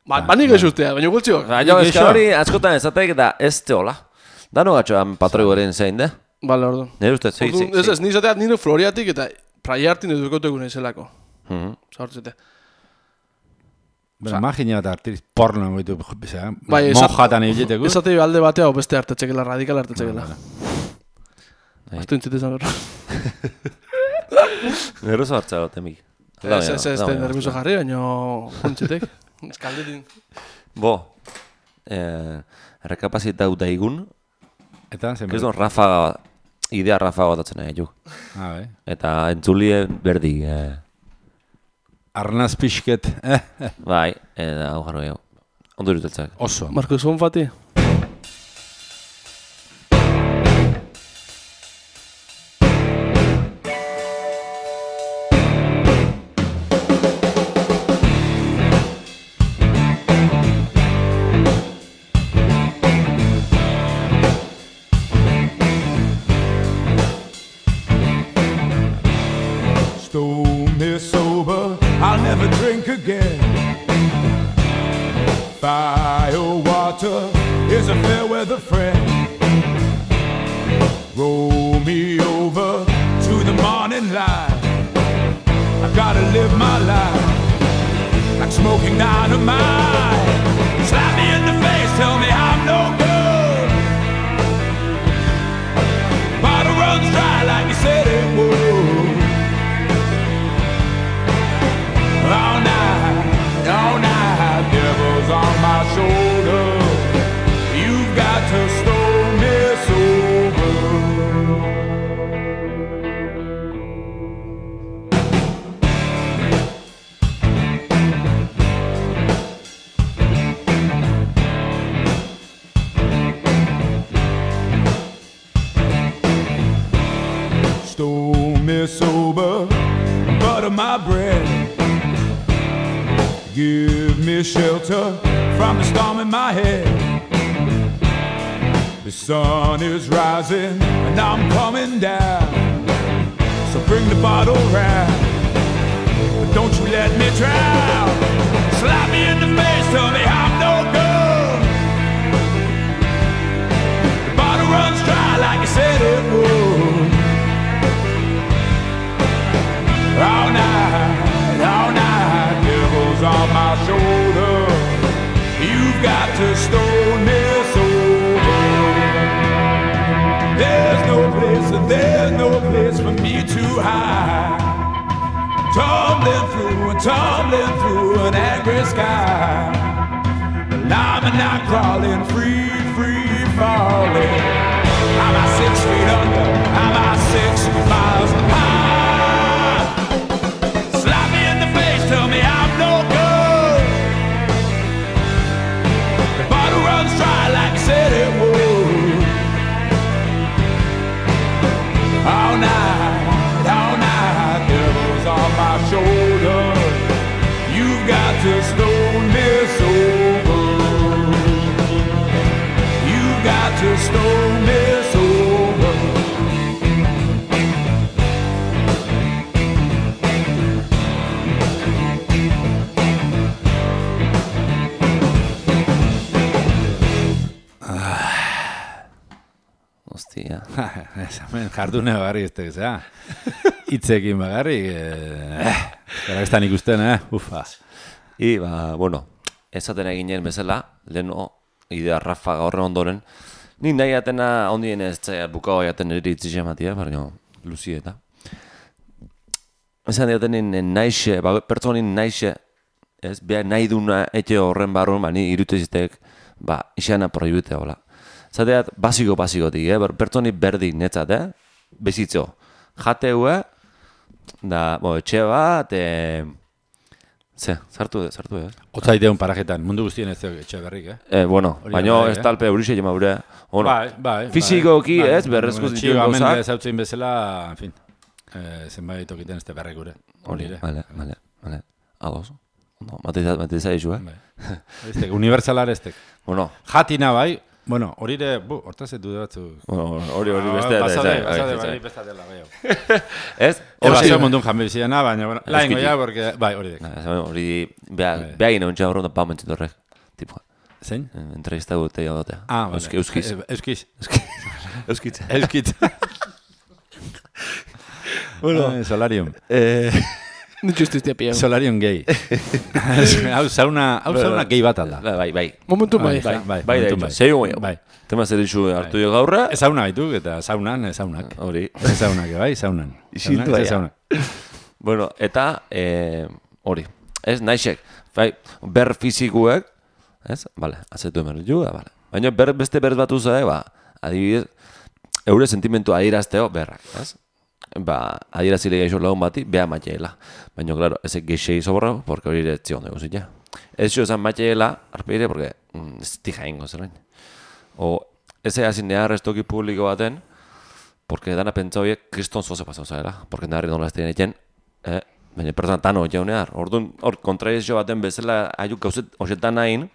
Ba, ba nik gaixustea, baina gultziok. Baina, ez hori askotan ezatek da ez teola. Dano gatxoan patroi goren zein, da? Bale, orduan. Nire ustez, zei, zei, Orduan, Ez ez, zei. nizateat nire Floriatik eta praiartin edukotu egun izelako. Mhm. Zaurtzete. Bueno, imagina bat artiriz porno goitu, bizea, Bai, esat- monjatan egiteko. Esatei alde batea, o beste hartetxekela, radikal hartetxekela. Bai. Aztu intzite izan berro. Nerrozo hartza gote, mik. Ez, ez, ez, ez, nervioso jarri, baina juntzitek. Eskaldetin. Bo, eh, rekapazitau daigun, Eta, zen Kriston rafaga, idea rafaga batatzen nahi juk. Ah, bai. Eta entzulie berdi, eh, Arnaz pixket, eh, eh, bai, eta hau jarro gehiago. Ondo iruteltzak. oso. Marcos Bonfati. Stole me sober, I'll never drink again. Fire water is a fair weather friend. Roll me over to the morning light. I gotta live my life like smoking dynamite. Slap me in the face, tell me I'm no good. Bottle runs dry like you said it would. All night, all night, devils on my shoulder. You've got to stole me sober. Stole me sober, butter my bread. Give me shelter from the storm in my head. The sun is rising and I'm coming down. So bring the bottle round, but don't you let me drown. Slap me in the face, tell me I'm no good. The bottle runs dry like you said it would. All night, all night, devils on my shoulder. You've got to stone me sober. There's no place, there's no place for me to hide. Tumbling through and tumbling through an angry sky. But I'm not crawling, free, free falling. I'm at six feet under, I'm at six miles high. Tell me I'm no good. The bottle runs dry like I said it would. All night, all night, devils on my shoulder. You've got to stone me sober. You've got to stone me sober. Hostia. Hemen jardune bagarri ez tegezea. Itzekin bagarri, eh, gara ez da nik usten, eh, ufa. I, ba, bueno, esaten eginen bezala, leheno, idea rafa gaurre ondoren, ni nahi atena ondien ez txea bukao jaten eritzi xematia, baina luzi eta. Esan diaten naixe, ba, pertsonin naixe, ez, behar nahi duna etxe horren barrun, ba, ni iruteziztek, ba, isana proibitea hola. Zateat, basiko-basikotik, eh? Pertsoni berdin netzat, eh? Bezitzo. Jateue, da, bo, etxe bat, e... Ze, sartu, sartu, eh? Otzaiteun parajetan, mundu guztien ez dut etxe berrik, eh? Eh, bueno, Hori baina bai, ez eh? talpe eurixe jema gure. Bueno, Bai, bai. fizikoki, bai, ez, berrezko bueno, zituen txigo, gauzak. hemen ezautzen bezala, en fin, eh, zenbait okiten ez berrek gure. Hori, ere. vale, vale, vale. Ados. No, mateiza, mateiza izu, eh? Bai. Estek, unibertsalar estek. Bueno, Jatina bai, Bueno, hori ere, bu, hortaz edu batzu. Bueno, hori hori beste. Basade, basade, bai, beste dela, bai. Ez? Eba, zeo mundun janbiziana, baina, bueno, laingo ja, porque, bai, hori dek. Hori, beha gine ontsa horretan pa mentzit horrek. Tipo, zein? entrevista gute jodotea. Ah, vale. Euskiz. Euskiz. Euskitza. Euskitza. Bueno, Solarium. Eh... Nitxustiztia pia. Solarium gay. Hau sauna, hau sauna gay bat alda. Bai, bai. Momentu bai. Bai, bai, Bai, momentu bai. Zei bai. Bai. Tema zer dizu hartu jo gaurra. Ez sauna baituk, eta saunan, ez saunak. Hori. Ez saunak, bai, saunan. Isildu Saunak, ez aia. saunak. Bueno, eta eh, hori. Ez, naixek. Bai, ber fizikuek, ez? Vale, azetu emer du, vale. Baina ber, beste ber batu zae, ba, adibidez, eure sentimentu adierazteo berrak, ez? Ba, adierazile gaixo lagun bati, beha matxeela. Baina, claro, ezek geixei soborra, porque hori ere etzion dugu zit, ja. Ez jo esan matxeela, arpeire, porque mm, ez tija ingo zelain. O, ez egin nehar estoki publiko baten, porque dana pentsa horiek kriston zoze pasau zaela. Porque naharri nola ez dien eken, eh? Baina pertsona tano jau nehar. Orduan, hor, kontraizio baten bezala, aiuk gauzet hoxetan nahin,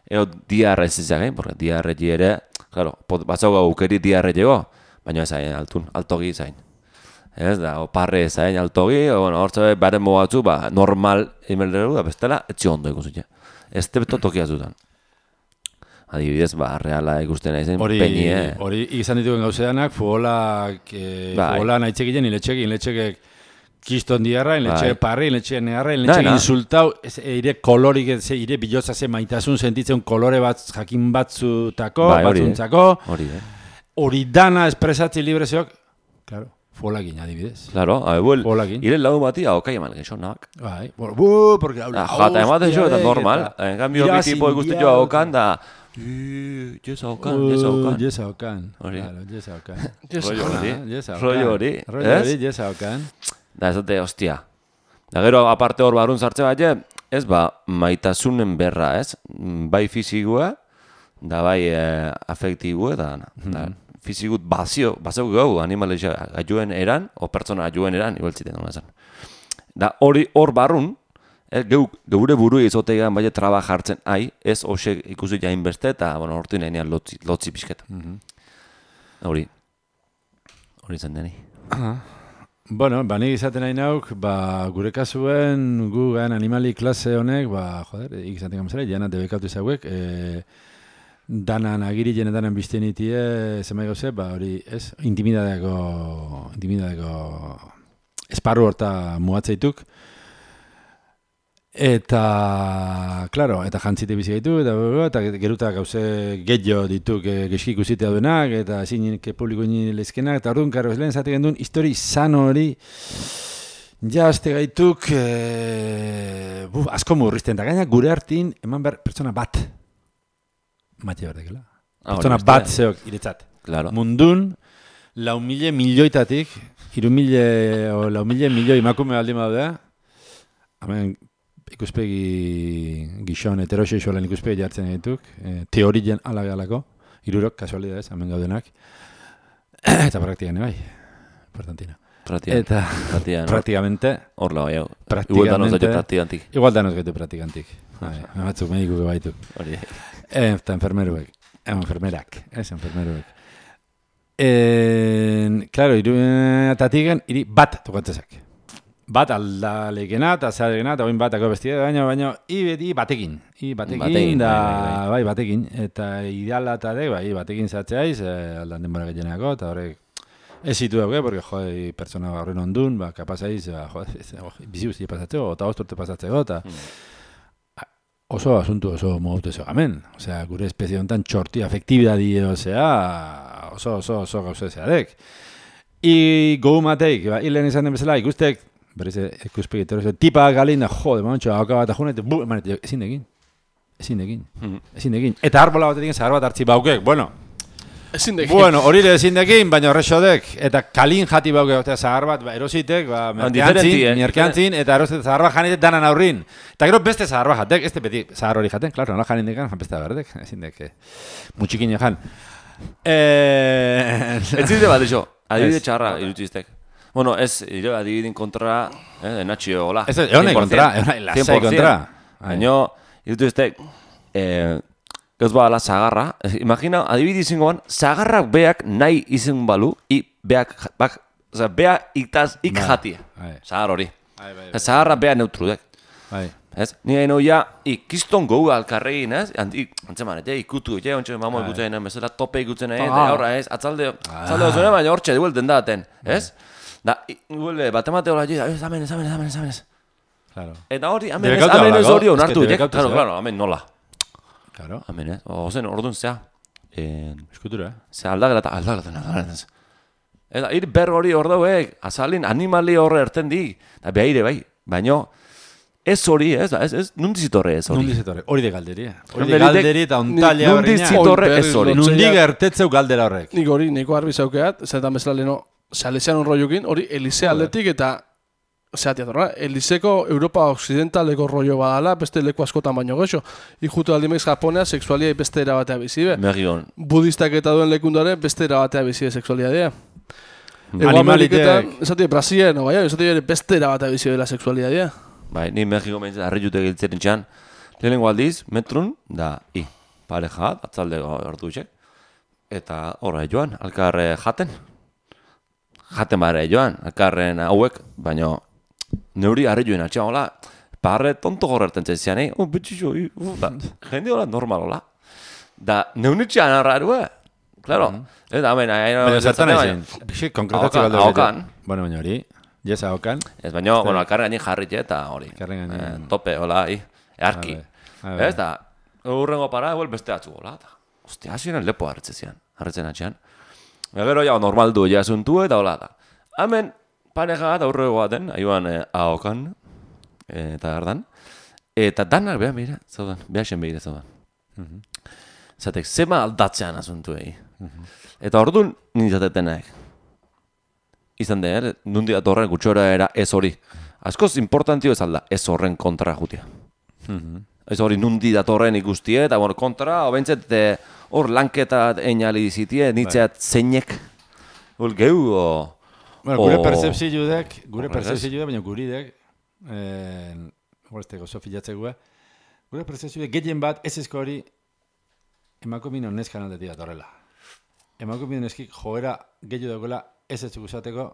eo diarra ez izan, porque diarre ere, claro, batzau gau ukeri diarre jego, baina ez hain altun, altogi zain. Ez da, oparre zain altogi, bueno, hortza baren mogatzu, ba, normal emelderu da bestela, etzi ondo ikusi. Ez tebeto tokia zutan. Adibidez, ba, reala ikusten naizen penie. Hori izan dituen gauzeanak, futbolak, eh, Bai. futbola nahi txekien, iletxekin, iletxekek kiston diarra, iletxe Bai. parri, iletxe negarra, iletxe Na, na. insultau, ez, ire kolorik, ez, ire bilotza ze maitasun sentitzen kolore bat jakin batzutako, Bai, hori, batzuntzako, Hori, eh? hori dana espresatzi libre zeok, claro, futbolakin adibidez. Claro, abebuel, Futbolakin. ire lagun bati, haukai eman gexonak. Bai, bueno, bu, porque Ah, jata ematen jo, eta normal. En cambio, bi tipo ikusten jo haukan, da... Jesa haukan, jesa haukan. Jesa haukan. Hori. Claro, jesa haukan. Rollo hori, Jesa haukan. rollo hori, Rollo ez? hori, jesa haukan. Da, ez dute, hostia. Da, gero, aparte hor barun sartze bat, ez, ba, maitasunen berra, ez? Bai fizikua, da bai eh, afektibua, da, da fizikut bazio, bazio gau, animalesa ajuen eran, o pertsona ajuen eran, igualtziten, nola esan. Da, hori hor barrun, eh, geu, geure buru izotegan bai traba jartzen, ai, ez hoxe ikusi jain beste, eta, bueno, hortu nahinean lotzi, lotzi pixketa. Hori, hori zen deni. Bueno, ba, nik izaten nahi nauk, ba, gure kasuen, gu gan animali klase honek, ba, joder, ikizaten gamzera, jana debekatu izauek, e, danan agiri jenetan bizten itie, zemai gauze, ba, hori, ez, intimidadeako, intimidadeako esparru horta mugatzeituk, eta, klaro, eta jantzite bizi gaitu, eta, eta geruta gauze getxo dituk e, geski ikusitea duenak, eta ezin publiko ini lezkenak, eta orduan, karo, ez lehen zate gendun, histori sano hori, ja, azte gaituk, e, buf, asko murrizten, eta gaina gure hartin, eman behar pertsona bat, matxe berdekela. Ah, Pertsona hori bat beste. zeok iretzat. Claro. Mundun, lau mile milioitatik, hiru mile, o lau mile milioi emakume baldin badea, hemen ikuspegi gizon heterosexualen ikuspegi jartzen dituk, e, teorien ala galako, hirurok kasualidadez, hemen gaudenak, eta praktikan bai, importantina. Pratian. Eta Pratian. praktikamente, Hor lau, jau. Praktikamente- Igual da nozaio praktikantik. igual danos gaitu praktikantik. Bai, batzuk medikuke baitu. Hori. Eta enfermeruek, eh, enfermerak, ez enfermeruek. En, claro, iruetatik iri bat tokatzezak. Bat aldalekena eta zearekena, eta oin batako bestia, baina, baina, i beti batekin. I batekin, Batekin, da, bai, bai, batekin. Eta ideala eta de, bai, batekin zatzeaiz, eh, aldan denbora gehienako, eta horrek, ez zitu dauke, porque, jode, pertsona horren ondun, ba, kapazaiz, ba, jode, bizi guzti pasatzeko, eta osturte pasatzeko, eta oso asuntu oso modutu ez hemen. Osea, gure espezie honetan txorti afektibidadi osea, oso, oso, oso gauza zeadek. I gogu mateik, ba, hilen izan den bezala, ikustek, berriz ikuspegi terrorizio, tipa galina, jode, momentxo, hauka bat ajun, eta bu, emanet, ezin egin. Ezin egin. Ezin egin. Eta arbola bat egin, zahar bat hartzi baukek, bueno, Ezin dek. bueno, hori ere ezin dekin, baina horrexodek, eta kalin jati baukek, eta zahar bat, ba, erositek, ba, merkeantzin, diferenti, eh? merkeantzin, eta erosit zahar bat janitek danan aurrin. Eta gero beste zahar bat jatek, ez beti zahar hori jaten, klaro, nola janin dekan, jan beste berdek, ezin dek, eh, mutxikin jan. Eh... Ez zide bat, eixo, adibide Ez. txarra irutiztek. Bueno, ez, ire adibidin kontra, eh, enatxio, hola. Ez, egonai kontra, egonai lasai kontra. Baina, irutiztek, eh, ez bala zagarra, imagina, adibidi zingoan, zagarrak beak nahi izen balu, i beak, bak, oza, bea itaz ik Bai, jatia, bai. zagar hori. Bai, bai, bai. Zagarra bea neutrudek. Bai. Ez? Ni hain hoia, ikiston gau alkarregin, ez? Antzeman, ete, ikutu, ete, ontsa mamo Bai. ikutzen, bezala tope ikutzen, eh? Ah. Eta horra, ez? Atzalde, atzalde ozune, baina hortxe, duelten daten, ez? Da, duele, batemate hola, ez, amen, ez, amen, ez, amen, ez, amen, ez. Claro. Eta hori, amen ez, Debekatu amen ez dago, hori es onartu, que ditek? debekatu Claro, zea. claro, amen nola. Claro. Amen, ez? Ozen, orduan zea. Eh, Eskutura, eh? Ze aldagelata, aldagelata, aldagelata. Eta, ir ber hori hor dauek, azalin, animali horre erten di. Eta behaire bai, baino, ez hori, ez, ez, ez, nundizitorre ez hori. Nundi zetorre, hori de galderi, eh? Hori de Nundirik- galderi eta ontalia Nundi berriña. zitorre Oi, ez berriz hori. lotzea. Nundi gertetzeu galdera horrek. Nik hori, neko arbi zaukeat, zetan bezala leheno, Salesian rollokin, hori Elise aldetik eta zeatia torra, Eliseko Europa Occidentaleko rollo badala, beste leku askotan baino goxo. Ikutu aldimeiz Japonea, sexualia beste erabatea bizibe. Megion. Budistak eta duen lekundare, beste erabatea bizibe sexualidadea. Ego Animalitek. Ameriketan, esatie Brasilien, no, baina, esatie ere beste erabatea bizibe la sexualidadea. Bai, ni Mexiko behintzat harri jute giltzen txan. Lehenengo aldiz, metrun, da, i, pareja, atzaldeko hartu txek. Eta horra joan, alkarre jaten. Jaten bare joan, alkarren hauek, baino, neuri harri joen atxean, hola, parre tonto gorrerten txezian, eh? Oh, betxixo, i, uh, da, jende hola normal, hola. Da, neunitxean arrarua, claro. Eta, amen, aina... Baina zertan aizen, pixik konkretatze Ahokan, galdera. ahokan. Bueno, baina hori, jesa ahokan. Ez baino, bueno, alkarre gainin jarritxe eta hori. Alkarren gainean. Eh, tope, hola, i, earki. Habe, habe. Ez da, urrengo para, eguel beste atzu, hola, eta, ostia, hasieran lepo hartzen zian, hartzen atxean. Eta gero, ja, normal du, ja, zuntu, eta hola, da. Hemen, pareja bat aurrego baten, aioan eh, ahokan, eh, eta gardan. Eta danak, beha, mira, zaudan, beha sen behire zaudan. Zatek, zema aldatzean azuntu egi. Eta orduan, nintzatetenak. Izan de, eh? Nundi datorren gutxora era ez hori. Askoz importantio ez alda, ez horren kontra jutia. Ez hori nundi datorren ikustie, eta bueno, kontra, obentzet, hor lanketa einali zitie, nitzeat zeinek. Hol geu, o... Bueno, gure o- percepzioek, gure Horregaz. percepzioek, baina guridek, eh, horrezteko oso filatzekoa, gure percepzioek gehien bat ez ezko hori emakumino neskan aldetik datorrela. Emakumino neskik joera gehiago dagoela ez ez uzateko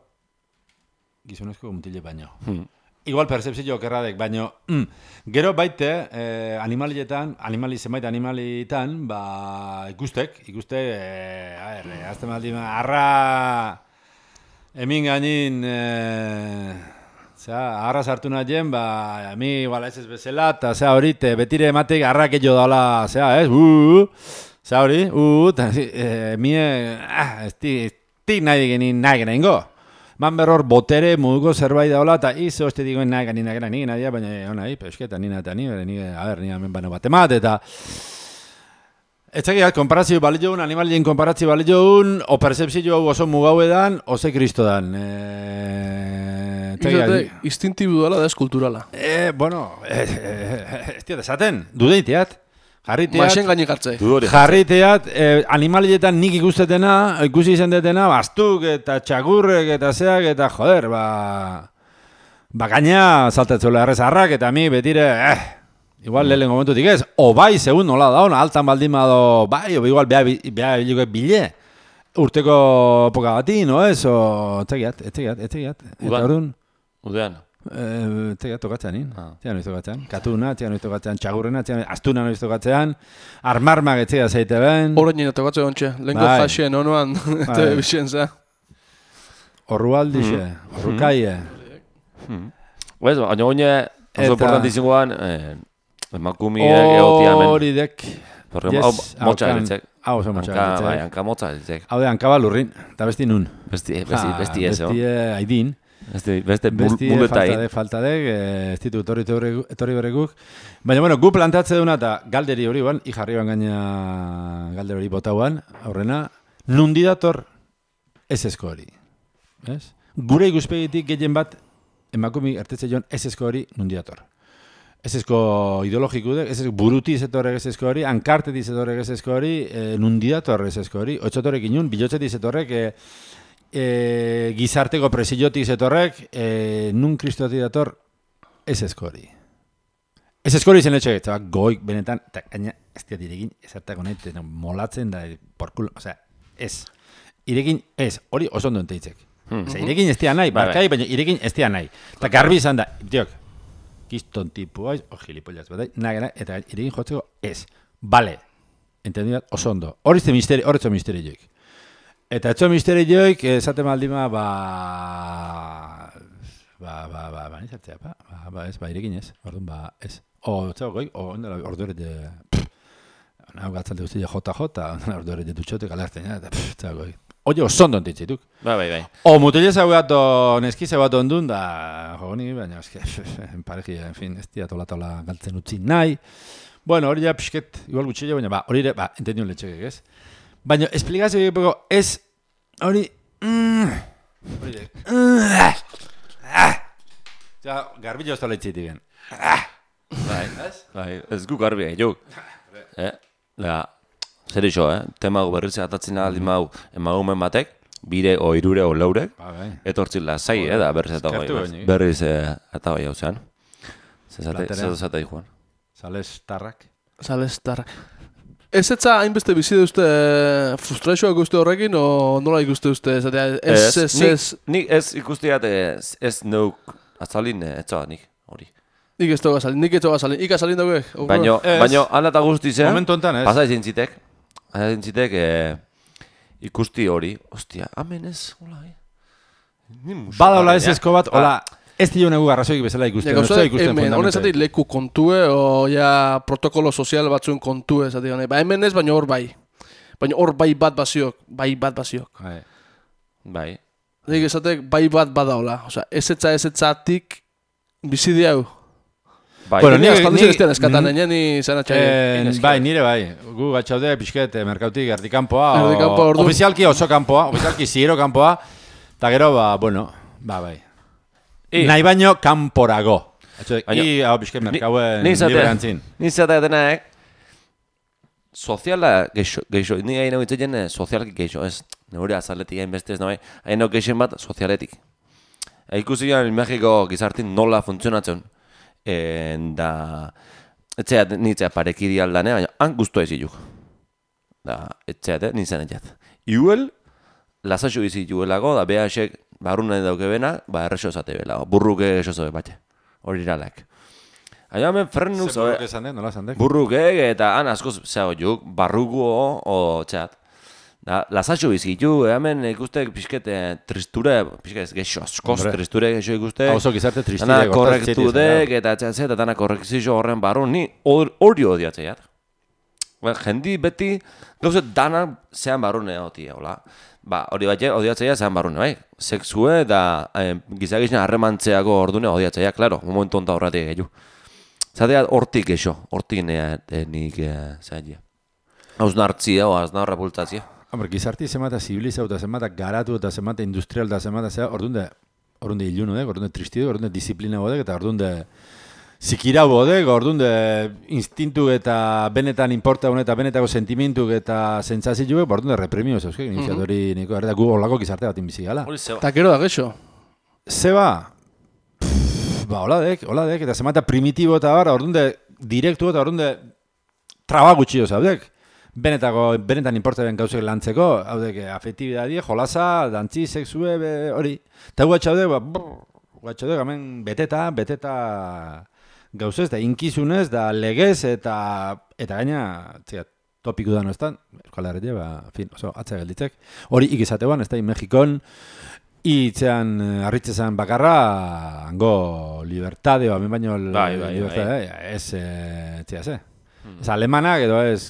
gizonezko mutile baino. Hmm. Igual percepzio okerradek, baino mm, gero baite eh, animalietan, animali zenbait animalitan, ba ikustek, ikuste, eh, a ber, eh, azte maldi, arra hemin gainin, eh, zera, arra sartu nahien, ba, mi igual ez ez bezala, eta zera hori, te betire ematek arrak edo dala, zera, ez, uh, zera hori, uh, eta eh, mie, ah, ez ti, ez ti nahi genin nahi genin go. Man berror botere moduko zerbait daola, eta izo este digoen nahi ganin nahi nahi nahi, baina hona, peusketa nina eta ni, ni, a ber, ni hemen bano bat emat, eta etzakiat, konparazio bali joun, animalien konparazio bali joun, o percepzio hau oso mugau edan, ose kristo dan. E, Izate, instintibu dela da ez kulturala. e, bueno, e, e, ez diat esaten, dudeiteat, jarriteat, Maixen gainik hartzei. Du hori. jarriteat, e, animalietan nik ikustetena, ikusi izan detena, bastuk eta txakurrek eta zeak eta joder, ba... Ba gaina saltatzuela errezarrak eta mi betire, eh, igual lehen momentutik ez, o bai, segun nola da hona, altan baldin bado, bai, o igual beha, beha biliko bile, urteko epoka bati, no ez, o, etzegiat, etzegiat, etzegiat, eta Udan. orduan, Udean. eh, etzegiat tokatzean, nin, Ah. etzegiat noiz tokatzean, katuna, etzegiat noiz tokatzean, txagurrena, etzegiat, astuna noiz tokatzean, armarmak etzegiat zeite ben, Horren nina tokatze ontxe, lehenko Bai. jasien onoan, eta bisien za. orrualdixe, orrukaie, Bez, baina oine, oso Eta- importantizingoan, eh, emakumiek egotia hemen. hori dek, Porque yes, hau motxa haukan- eritzek. hau oso motxa Hanka, eritzek. bai, hanka motxa eritzek. hau de hankaba lurrin, eta besti nun. Besti, besti, Ja, besti ez, Besti eh, aidin. Beste, beste bul- Besti muleta falta egin. de, falta de, eh, ez ditu etorri, etorri, etorri berreguk. Baina, bueno, gu plantatze duna eta galderi hori ban, i jarri ban gaina galderi hori botauan, aurrena, nundi dator ez ezko hori. Ez? Gure ikuspegitik gehien bat, emakumi ertetze joan ez ezko hori nundi dator. Ez ezko ideologiku dek, ez ezko buruti zetorrek ez ezko hori, ankarteti zetorrek ez ezko hori, e, nundi dator ez ezko hori, otxotorek inun, bilotzetik zetorrek, e, e, gizarteko presiotik zetorrek, e, nun kristotik dator ez ezko hori. Ez eskori zen etxe, eta goik benetan, eta gaina ez diat irekin ezertako nahi, eta molatzen da, porkulo, osea, ez. Irekin ez, hori oso ondo enteitzek. Hmm. Osea, irekin ez dia nahi, barkai, baina irekin ez dia nahi. Eta garbi izan da, diok, kiston tipu haiz, o gilipollaz bat, nahi, eta irekin jotzeko ez. Bale, entendibat, oso ondo. Hori ze misteri, hori zo misteri joik. Eta etzo misteri joik, esaten baldima, ba... Ba, ba, ba, ba, nizatzea, ba, ba, ba, ez, ba, irekin ez, orduan, ba, ez. O, txau, goi, o, ondela, ordu ere, nahu gatzalde guztia jota jota, ondela, ordu ere, dutxote galertzen, eta, txau, goi. Oye, osondo entitzituk. Ba, bai, bai. O, mutileza gato, neskize bat ondun, da, jo, ni, baina, eske, en pareja, en fin, ez dia tola-tola galtzen utzi nahi. Bueno, hori ja, pixket, igual gutxillo, baina, ba, hori ere, ba, entendiun letxekek, ez? Baina, esplikazio egiteko, ez, hori, mm, hori de, mm, ah, ja, garbillo ez tola itzitik gen. Ah, bai, bai, ez gu garbi egin, eh, la, zer iso, eh, tema gu berriz atatzen aldi mau, emagumen batek, bire o irure o laurek, ba, bai. etortzin lazai, eh, da berriz eta Eskertu goi, baini. berriz eh, eta goi hau zean. Zezate, Platerea. zezate Juan. Sales tarrak. Salestar. Ez etza hainbeste bizi duzte frustrazioak uste horrekin, o nola ikuste uste? Esatea, ez, ez, nik- ez, Nik ez ikustiat ez, ez neuk azalin etzoa nik, hori. nik ez toga salin, nik ez toga salin, ika salin dagoek. Baino, Ez. baino, ala eta guztizea, Momentu hontan ez. pasa izin zitek, pasa izin zitek, eh, ikusti hori, ostia, amen ez, hola, eh. Ni musu Bada hola garria. ez esko bat, hola, ez dio negu garrazoik bezala ikusten. Ja, ez da gauza, ikusten hemen, honen fundamentalmente. zati leku kontue, o ja protokolo sozial batzuen kontue, zati honen. Ba, hemen ez, baina hor bai. Baina hor bai bat baziok, bai bat baziok. Bai. Bai. Nik esatek bai bat badaola. Osea, ez etza ez etzatik bizi diau. Bai. Bueno, Ni ni- aspaldi ni- eskatan, eskatan, ni- enia ni zan atxai. Eh, bai, nire bai. Gu gatxaude pixket eh, merkautik erdikampoa. o- Erdikanpoa, ordu. Ofizialki oso kanpoa, ofizialki ziro kanpoa. Eta gero, ba, bueno, ba, bai. I- Nahi baino kanporago. Atxo, Baina- I, hau pixket merkauen Ni izatea, liberantzin. ni izatea denak, soziala geixo, geixo, ni hain hau itzeien eh, sozialki geixo, ez, neure azaletik hain beste ez nahi, hain hau geixen bat sozialetik. E, ikusi garen Mexiko gizartin nola funtzionatzen, e, da, etxea, nitzea parekidi aldane, baina han guztua ez iluk. Da, etxea, nintzen etxeat. Iuel, lasaxo izi juelago, da behasek barrunen dauke bena, ba erreso zate bela, burruke eso zobe batxe, hori iralak. Aia hemen frenuk zobe, Zer esan den, nola esan den? burrukek eta han askoz, zeo juk, barruko o txat. Da, lasaxo bizitu, hemen ikustek pixkete tristure, pixket geixo, askoz Hombre. tristure geixo ikuste. Hauzo gizarte tristide. Dana korrektu dek eta txatze eta dana korrekzio horren barru, ni hor- hori odiatzeiat. Ba, jendi beti, gauzet dana zean barrune hoti, hola. Ba, hori bat odiatzeia zean barrune, bai. Sexue eta eh, gizagizena harremantzeako ordune odiatzeia, klaro, momentu onta horretik gehiu. Zatea hortik eixo, hortik nea eh, nik eh, zaila. Hausnartzia o hausnarra bultatzia. Hombre, gizarti zemata zibilizau eta zemata garatu eta zemata industrial eta zemata zea, ordunde, ordunde ilunu dek, ordunde tristidu, ordunde disiplina bodek, eta ordunde zikira bodek, ordunde instintu eta benetan importa eta benetako sentimentuk eta sentsazioek, ordunde repremio zeuzke, iniziatori niko, eta gu holako gizarte bat inbizi gala. Hori zeba. Eta gero da geixo. Zeba, ba, hola dek, hola dek, eta zemata primitibo eta bar, ordunde direktu eta ordunde traba gutxio zaudek. Benetako, benetan importa ben gauzek lantzeko, hau dek, afektibidadie, jolasa, dantzi, sexue, be, hori. Eta gu atxaude, ba, gu atxaude, hemen beteta, beteta gauzez, da inkizunez, da legez, eta eta gaina, txia, topiku da noestan, Euskal Herria, ba, fin, oso, atzea gelditzek. Hori ikizatean, ez da, Mexikon, itzean, harritzezan bakarra, hango libertade, hemen baino, Bai, bai, libertade, ez, eh, txia, ze. Ez alemanak, edo ez,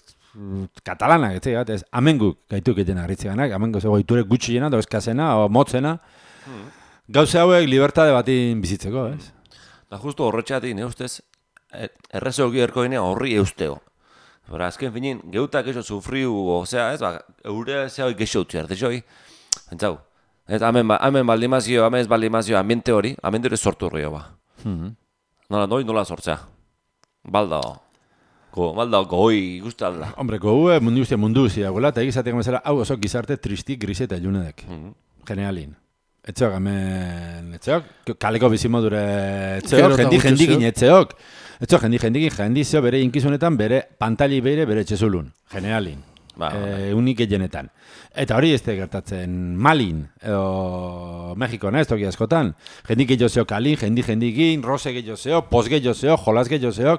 katalanak, ez zigat, ez amenguk gaituk egiten harritzeganak, amengo zego iturek gutxi jena, edo eskazena, o motzena, gauze hauek libertade batin bizitzeko, ez? Da justu horretxeatik, ne ustez, errezoki erko gine horri eusteo. Bara, azken finin, geutak eso sufriu, osea, ez, ba, eure zehoi geixo utzi arte joi. Entzau, ez, hemen, ba, hemen baldimazio, hemen ez baldimazio, ambiente hori, ambiente hori sortu horri ba. Nola, noi, nola sortzea. Balda, go, balda, goi, ikuste alda. Hombre, gogue mundu guztia mundu guztia, gola, eta egizatek bezala, hau oso gizarte tristi, grise eta ilunedek. Generalin. Etzeok, hemen, etzeok, kaleko bizimodure, etzeok, Gero eta jendi gutxi jendikin, zeo. etzeok. Etzeok, jendi jendikin, jendizio bere inkizunetan, bere pantali beire, bere txezulun, generalin. Ba, ba, eh, unik genetan. Eta hori ez da gertatzen Malin, edo Mexikon, ez toki askotan. Jendik gehiago zeo kalin, jendi jendikin, rose gehiago zeo, pos gehiago zeo, jolas gehiago zeo.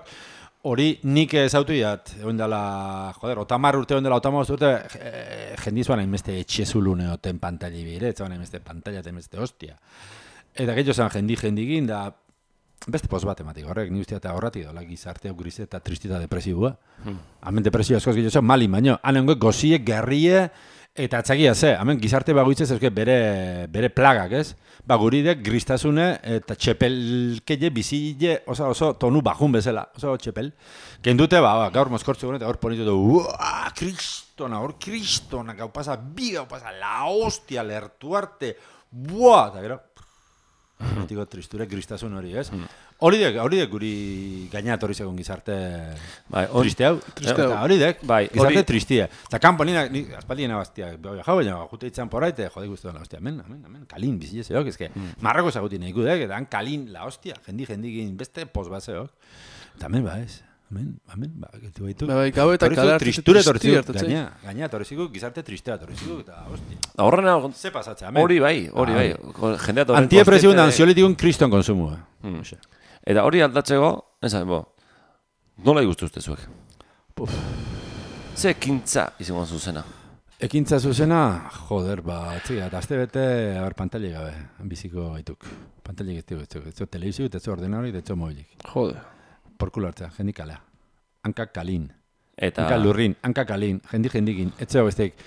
Hori nik ezautu iat, egon dela, joder, otamar urte, egon dela otamar urte, eh, jendizuan hainbeste etxezulune oten pantali bire, etzuan hainbeste pantalla, hainbeste hostia. Eta gehiago zan jendi jendikin, da, beste pos bat ematik horrek, ni ustea eta horretik dola gizarte grise eta tristita depresibua. Hmm. Hemen depresio askoz gehiago zan, malin baino, hanengo gozie, gerrie, eta atzakia ze, hemen gizarte bagoitzez euske bere, bere plagak, ez? Ba, guridek gristasune eta txepelkeie bizile oso, oso tonu bajun bezala, oso txepel. Kendute, ba, ba gaur mozkortzu gure eta gaur ponitu du, uaa, kristona, hor kristona, gau pasa, bi gau pasa, la hostia, lertu arte, buah, eta gero, Tiko tristure gristasun hori, ez? Hori dek, hori dek guri gainat hori segun gizarte bai, or, triste hau. Triste hau. Hori dek, bai, gizarte hori... tristia. Eta kanpo nina, ni, aspaldien abaztia, jau baina, jute itzan poraite, jode guztu la hostia, amen, amen, amen, kalin, bizile zeok, ezke, mm. marrako zagutin eiku dek, eta han kalin, la hostia, jendi, jendikin, beste pos bat zeok. Eta amen, ba, ez. Amen, amen, ba, getu baitu. Ba, bai, gau eta kale hartu tristure torziuk, gaina, gaina torziuk, gizarte tristea torziuk, eta hostia. Horrena, ze pasatzea, amen. hori bai, hori bai. Jendea torren Antiepresiun da ansiolitikun kriston konsumua. Hmm. Eta hori aldatzeko, ez bo, nola igustu uste zuek? Puf. Ze ekintza izango zuzena? Ekintza zuzena, joder, ba, txiga, eta azte bete, abar, pantali gabe, biziko gaituk. Pantali gaituk, ez zu telebizio, ez zu ordenari, ez zu mobilik. Jode. Porkulo hartzea, jendik kalea. Hankak kalin. Eta... Hanka lurrin, hanka kalin, jendik jendikin, ez zeo besteik.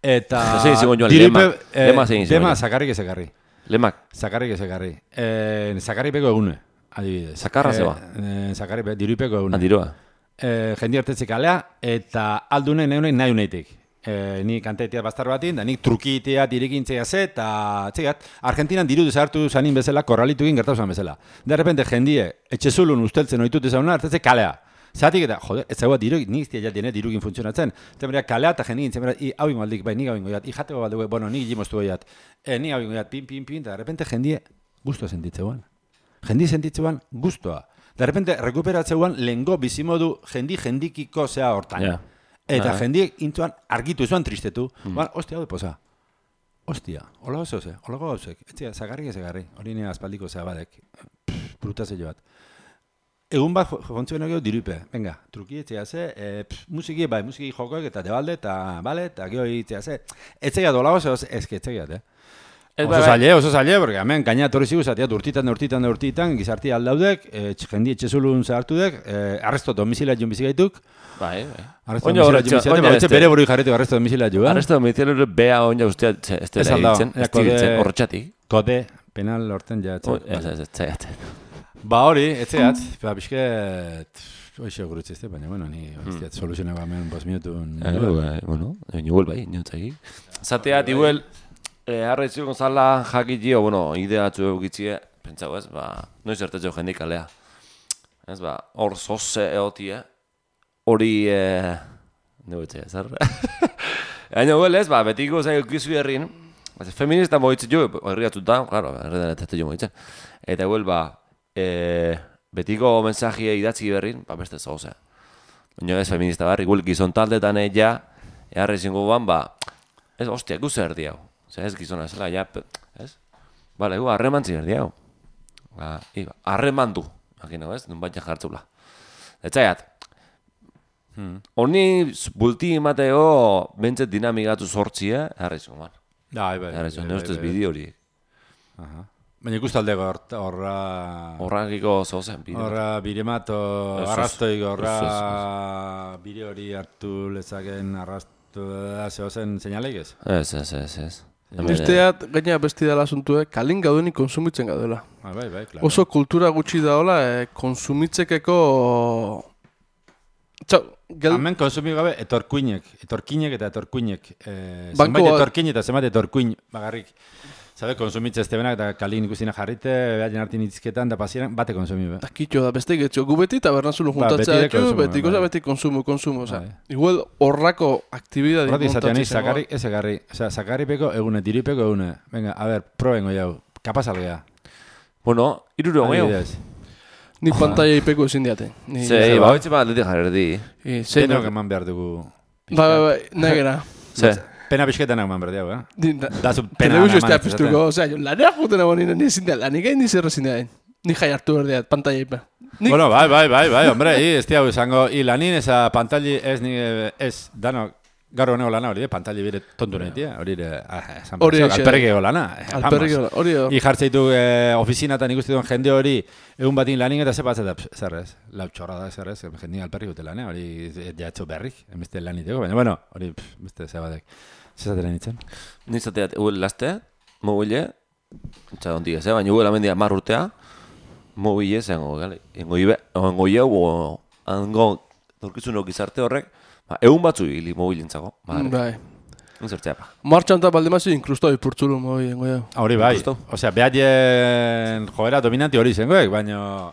Eta... Zein zigon joan, lema, lema zein zigon. Lema, zakarrik ezekarri. Lemak. Zakarrik ezekarri. Eh, zakarri peko egune, adibidez. Zakarra zeba? Eh, zakarri peko, dirupeko egune. Adiroa. Eh, jendi hartetzik kalea, eta aldunen neunen nahi uneitik. Eh, ni kantetia bastar batin, da nik trukitea dirikintzea ze, eta txegat, Argentinan diru desartu zanin bezala, korralitukin gertatu zan bezala. De repente jendie, etxezulun usteltzen oitut ezauna, hartetze kalea. Zatik eta, joder, ez zagoa diru, nik iztia jatien dirukin funtzionatzen. Zemera, kalea eta jendikin, zemera, i hau ingo aldik, bai, nik hau ingo jat, i jateko baldugu, bueno, nik jimoztu goiat, e, nik hau ingo jat, pin, pin, pin, eta de repente jendie guztua sentitzeuan. Jendi sentitzeuan guztua. De repente, rekuperatzeuan lehengo bizimodu jendi jendikiko zea hortan. Yeah. Eta ah. jendiek intuan argitu zuan tristetu. Mm. Ba, ostia, hau poza. Ostia, hola oso ze, hola gauzek. Etzia, zagarrik ezegarri. Hori nire aspaldiko zea badek. Brutazio bat. Egun bat fontzioen egeo dirupe. Venga, truki etzea ze, e, pff, musiki, bai, musiki jokoek eta debalde, eta bale, eta geho egitea ze. Etzea dola oso, ezke etzea eh? Oso zaile, oso zaile, porque hemen gaina torri zigu zateat urtitan, urtitan, urtitan, gizarti aldaudek, e, jendi etxezulun zahartudek, e, arresto domizilea joan bizigaituk. Bai, bai. Arresto domizilea joan bizigaituk, bere buru jarretu arresto domizilea joan. Arresto domizilea bea oina ustea ez dela egiten, ez dela horretxatik. Kode, penal horten jatzen. Ez, ez, ez, zaiatzen. Ba hori, etzeat, ba bizket, hoxe gurutze ezte, baina, bueno, ni ez soluzionago hemen bos minutun. Bueno, niguel bai, niotzaki. Zateat, iguel, Arretxio Gonzala jakitio, bueno, ideatzu eukitzie, pentsago ez, ba, noiz ertetzeo jendik alea. Ez, ba, hor zoze eotie, hori, e... negoetzea, zer? Baina, huel ez, ba, betiko zain eukizu herrin, feminista moitze jo, herriatuta, claro, herriatetze jo moitze. Eta huel, ba, e, betiko mensajie idatzi berrin, ba, beste zozea. Baina ez feminista barri, huel gizon taldetan ella, eharrezin guan, ba, ez, ostia, guze erdi hau. Zer ez gizona, zela, ja, ez? Bale, gu, harreman ziberdi hau. Harreman du, imagino, ez? Nun baina jartzula. Etzaiat, honi bulti emateo bentzet dinamikatu sortzia, harrizun, man. Da, bai, bai. Harrizun, ne ustez bideo hori. Baina ikustaldeko horra... Horrakiko zozen, bideo. Horra biremat, arrastoik, horra bide hori hartu lezaken arrastu zehozen seinaleik ez? Ez, ez, ez, ez. Besteat, gaina besti dela asuntuek, kalin gaudenik konsumitzen gaudela. Ah, bai, bai, claro. Oso kultura gutxi daola, eh, konsumitzekeko... Txau, gel... Hemen konsumi gabe etorkuinek, etorkinek eta etorkuinek. Eh, Banko zenbait bat- etorkin eta zenbait etorkuin bagarrik. Zabe, konsumitze ez tebenak, eta kalin ikustina jarrite, behaien hartin itzketan, da pasieran, bate konsumi, be. Eta kitxo da, beste getxo, gu beti tabernazulo Ba, juntatzea beti de etxo, konsumo, beti goza, bai. beti konsumo, konsumo, oza. Bai. Igual horrako aktibidadi Horretik izatean montatzen sakarri, ez egarri, osea, sakarripeko egune, diripeko egune. Venga, a ber, probengo jau, kapaz algea. Bueno, iruro gehiago. Adibidez. Ni pantalla ipeko ezin diate. Ni Zei, ba, hoitxe ba, atletik jarri. Eh, zein Denok hor- eman behar dugu. Bai, bai, bai, negera. Ze, Pena pixketan eman behar dugu, eh? Ni- da- Da zu pena Telebizio eman estea ez piztuko, osea, jo lanea juten egon nire, ni ezin da, lanik egin ni zer ezin da. Ni jai hartu berdeat, pantalla ipe. Nik, Bueno, bai, bai, bai, bai, hombre, i, ez diago izango, i lanin eza pantalli ez, ni, ez, dano, gaur honego lana hori, pantalli bire tontu nahi, tia, hori, eh, ah, esan Hori behar, eixe. alperrikego lana. eh, alperrik vamos. hori hor. I jartzeitu eh, ofizinatan ikusti duen jende hori, egun batin lanin eta zepatzet da, zer ez, lau txorra da, zer ez, jendin alperrik dute lana, hori jatxo berrik, emeste laniteko, baina, bueno, hori, pff, beste zebatek, zezatela nintzen. nizateat, huel laste, mobile, txa ondik ez, eh? Baina huel amendia mar urtea, mobile zengo, gale, engo ibe, engo ieu, o, hango, dorkizunok izarte horrek, ba, egun batzu hili mobilentzako, ba, Bai. zertzea pa. Martxan eta baldemazi inklusto ipurtzulu moi engo jau. Hori bai, Justo. osea, behaien joera dominanti hori zengoek, baina...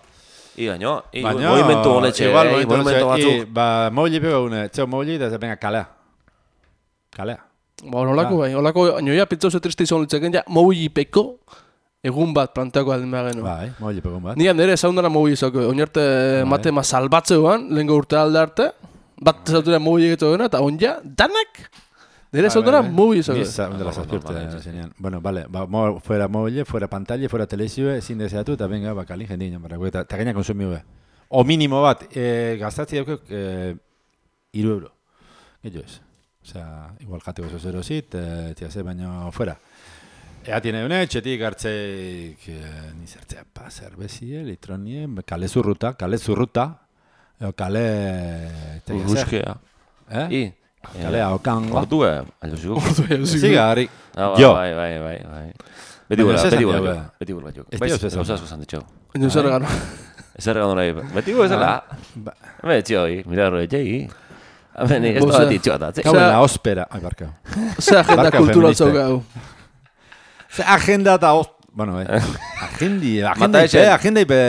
I gaino, i Baina, movimentu honetxe, igual, eh, movimentu movimentu honetxe, batzuk. i, ba, mobili pego une, txeo mobili, eta venga, kalea. Kalea. Ba, holako bai, holako, nioia pitza oso triste izan litzeken, ja, mobi ipeko egun bat planteako aldin behar genu. Bai, mobili pego bat. Ni nire zaundara mobi izako, oinarte mate ma salbatzeuan, lehenko urte alde arte, bat zautura mobi egitu gena, eta onja, danak, nire zaundara mobi izako. Ni zaundela Normal, zazpurte, normal, zenean. Bueno, vale, ba, mo, fuera mobile, fuera pantalla, fuera telezioa, ezin deseatu, eta venga, ba, kalin jendin, barako, eta, eta gaina konsumio be. O minimo bat, e, gaztatzi daukek, e, iru euro. Gehiago ez. Osea, igual jateko zoz erozit, e, tia ze, baina fuera. Ea tiene une, txetik hartzeik, e, ni zertzea, pa, zerbezie, litronie, kale zurruta, kale zurruta, eo kale... tia zer. Urruskea. Eh? I, Kalea, okangoa. ordue, aldo ziko. Ordu ja, Ziga, harri. Ah, Jo. Bai, bai, bai, bai. Beti Baina gura, zer beti esan gura, diau, jo, eh? beti gura, jo. Ez Bai, diau zer esan. gauza asko esan ditxo. Ino zer gano. Ez erregan nahi, beti gura ezela. Ba, Hemen etxio hori, mira horre etxei. Hemen ez Boza. da bat itxoa da, Gau en Osea- la óspera. Ai, barka. Zer agenda Barka kultural feminista. zaukau. Ze agenda eta os... Bueno, eh. Agendi, agenda Mata ipe, esen. agenda ipe...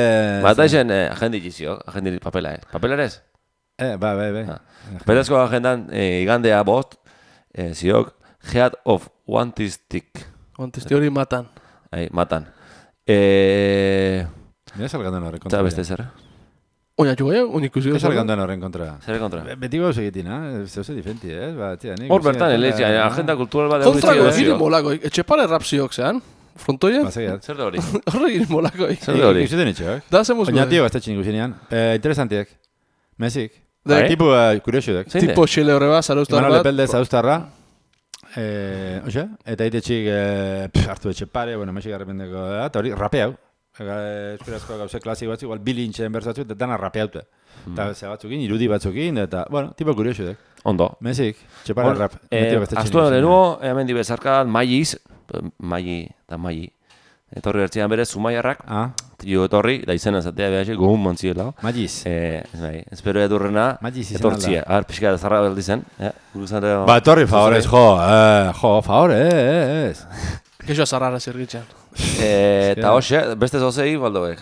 Bata esen eh, agendi gizio, agendi papela, eh. Papela ez? Eh, bai, bai, bai. Ah. Pedazko agendan, eh, igandea bost, eh, ziok, head of wantistic, Ontizti hori matan. ai, matan. Eh, Mira salgandan horren kontra. eta beste zer? Oina txuga jau, oin ikusi. Mira salgandan horren kontra. Zer kontra? Be- Beti gauz egitin, eh? Zeu ze diferenti, eh? Ba, tia, nik... Hor bertan, eleitxea, agenda kultural bat egun Kontrako, itxio, egin molako, etxepare rap ziok zean. Frontoien, Ba, segiat. Zer da hori? horre egin molako. Zer da hori? Ikusten itxo, eh? Da zemuz Oina tio gaztetxin ikusinean. Eh, interesantiek. Mesik. Da, Bai? Tipo uh, kuriosudek. Zein tipo xele horre bat, zarauztar Imanol bat. Lepelde zauztarra. Eh, oxe? Eta itetxik eh, pff, hartu etxe pare, bueno, mesik arrependeko da, eta hori rapeau. Eskurazko gauze klasik batzuk, igual bilintxen berzatzu, eta dana rapeaute. Eta ze batzukin, irudi batzukin, eta, bueno, tipo kuriosudek. Ondo. Mesik, txepara Hor, rap. eh, Aztua lehenuo, hemen dibezarka, maiiz, maii eta maii. Etorri bertzean berez, zumaiarrak, Ah, jo etorri, da izena zatea behar gogun mantziela. Magiz. Eh, ez nahi, espero edurrena, Magiz izan etortzia. alda. Ar, pixka da zarra beldi zen. Eh, guruzare... Ba, etorri favorez, jo, eh, jo, favore, eh, ez. Kexoa zarrara zirgitxan. Eh, eta hoxe, beste zozei, baldoek.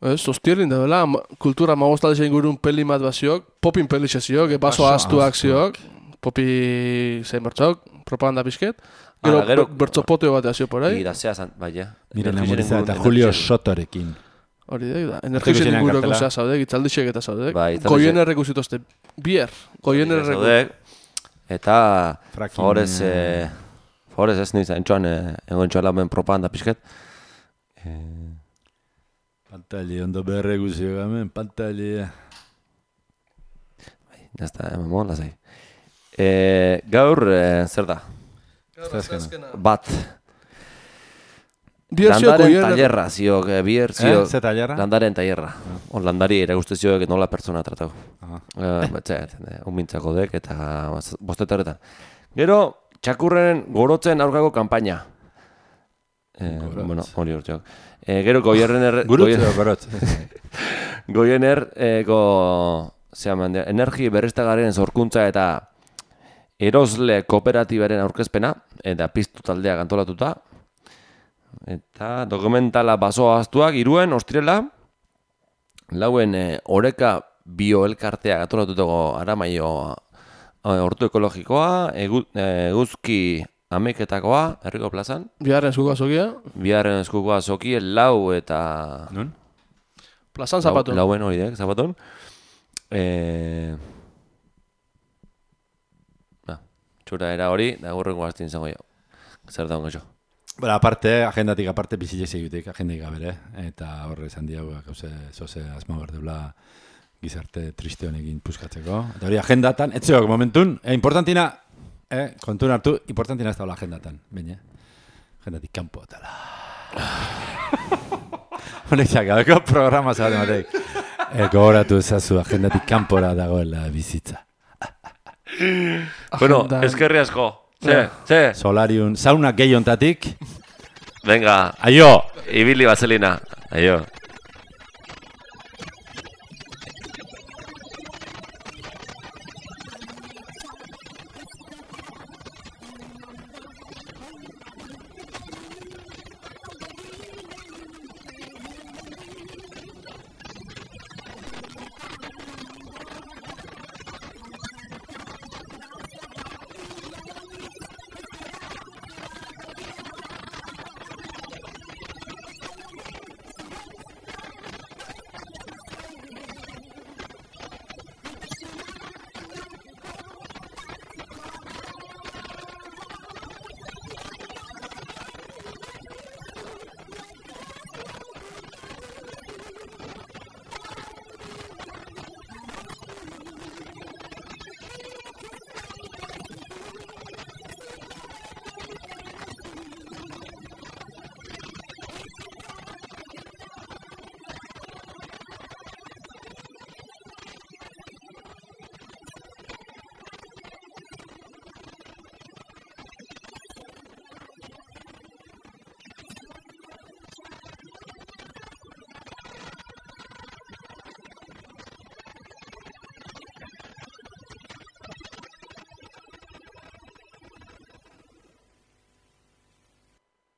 Ez, hostierrin da dela, ma- kultura magostalde ingurun peli bat baziok, popin peli ziok, baso Baso astuak ahaztuak. ziok, popi zein bertzok, propaganda bizket. Gero, Ah, gero- ber- bertzopoteo bat azio por ahí. Ira, zea zan, bai, ja. Miren Energiaren Amoriza eta ingurun- Julio energiaren- Sotorekin. Hori da, da. Energizen Ikusi inguruko kartela. zea zaude, gitzaldixek eta zaude. Bai, gitzaldixek. Goien errekusitozte, bier. Goien Ira errekusitozte. zaudek. Eta, Fracking, favorez, eh, eh, favorez ez niz, entxoan, eh, egon txoan lamen propaganda pixket. Eh, Pantali, ondo berre guzio gamen, pantali. ya está, hemen mon, lasai. Eh, gaur, eh, zer da? Bat. Bier ziok Landaren goien tailerra, ziok, eh, bier, Eh, ziok. ze tailerra? Landaren tailerra. On landari erakuste zioek nola pertsona tratau. Aha. Eh, Betxe, unmintzako dek eta bostetaretan. Gero, txakurren gorotzen aurkako kanpaina. Eh, Gorotz. bueno, hori urteok. Eh, gero, goierren er... Gurutze edo gorotz. Goiener, eko, zehaman, energi berriztagarrien zorkuntza eta erosle kooperatibaren aurkezpena, eta piztu taldeak antolatuta. Eta dokumentala baso aztuak, iruen, ostrela, lauen e, oreka bioelkartea gatolatutako Aramaio hortu ekologikoa, egu, eguzki ameketakoa, herriko plazan. Biharren eskuko azokia. Biharren eskuko azokia, lau eta... Nun? Plazan zapatun. Lau, lauen horiek, zapatun. E... Ba, txura era hori, da gurrengo gaztin izango jo. Zer da hongo jo. Bara, aparte, agendatik aparte bizilek egitek, agendaik gabere, eta horre esan diago, gauze, zoze asma berdeula gizarte triste honekin puskatzeko. Eta hori agendatan, etzeok momentun, e, importantina, eh, kontun hartu, importantina ez daula agendatan, baina, agendatik kanpo, tala. Honek zakadeko programa zaten batek. E, gogoratu ezazu, agendatik kanpora dagoela bizitza. Bueno, eskerri asko. Ze, ze. Solariun, sauna gehiontatik. Venga. Aio! Ibili baselina. Aio.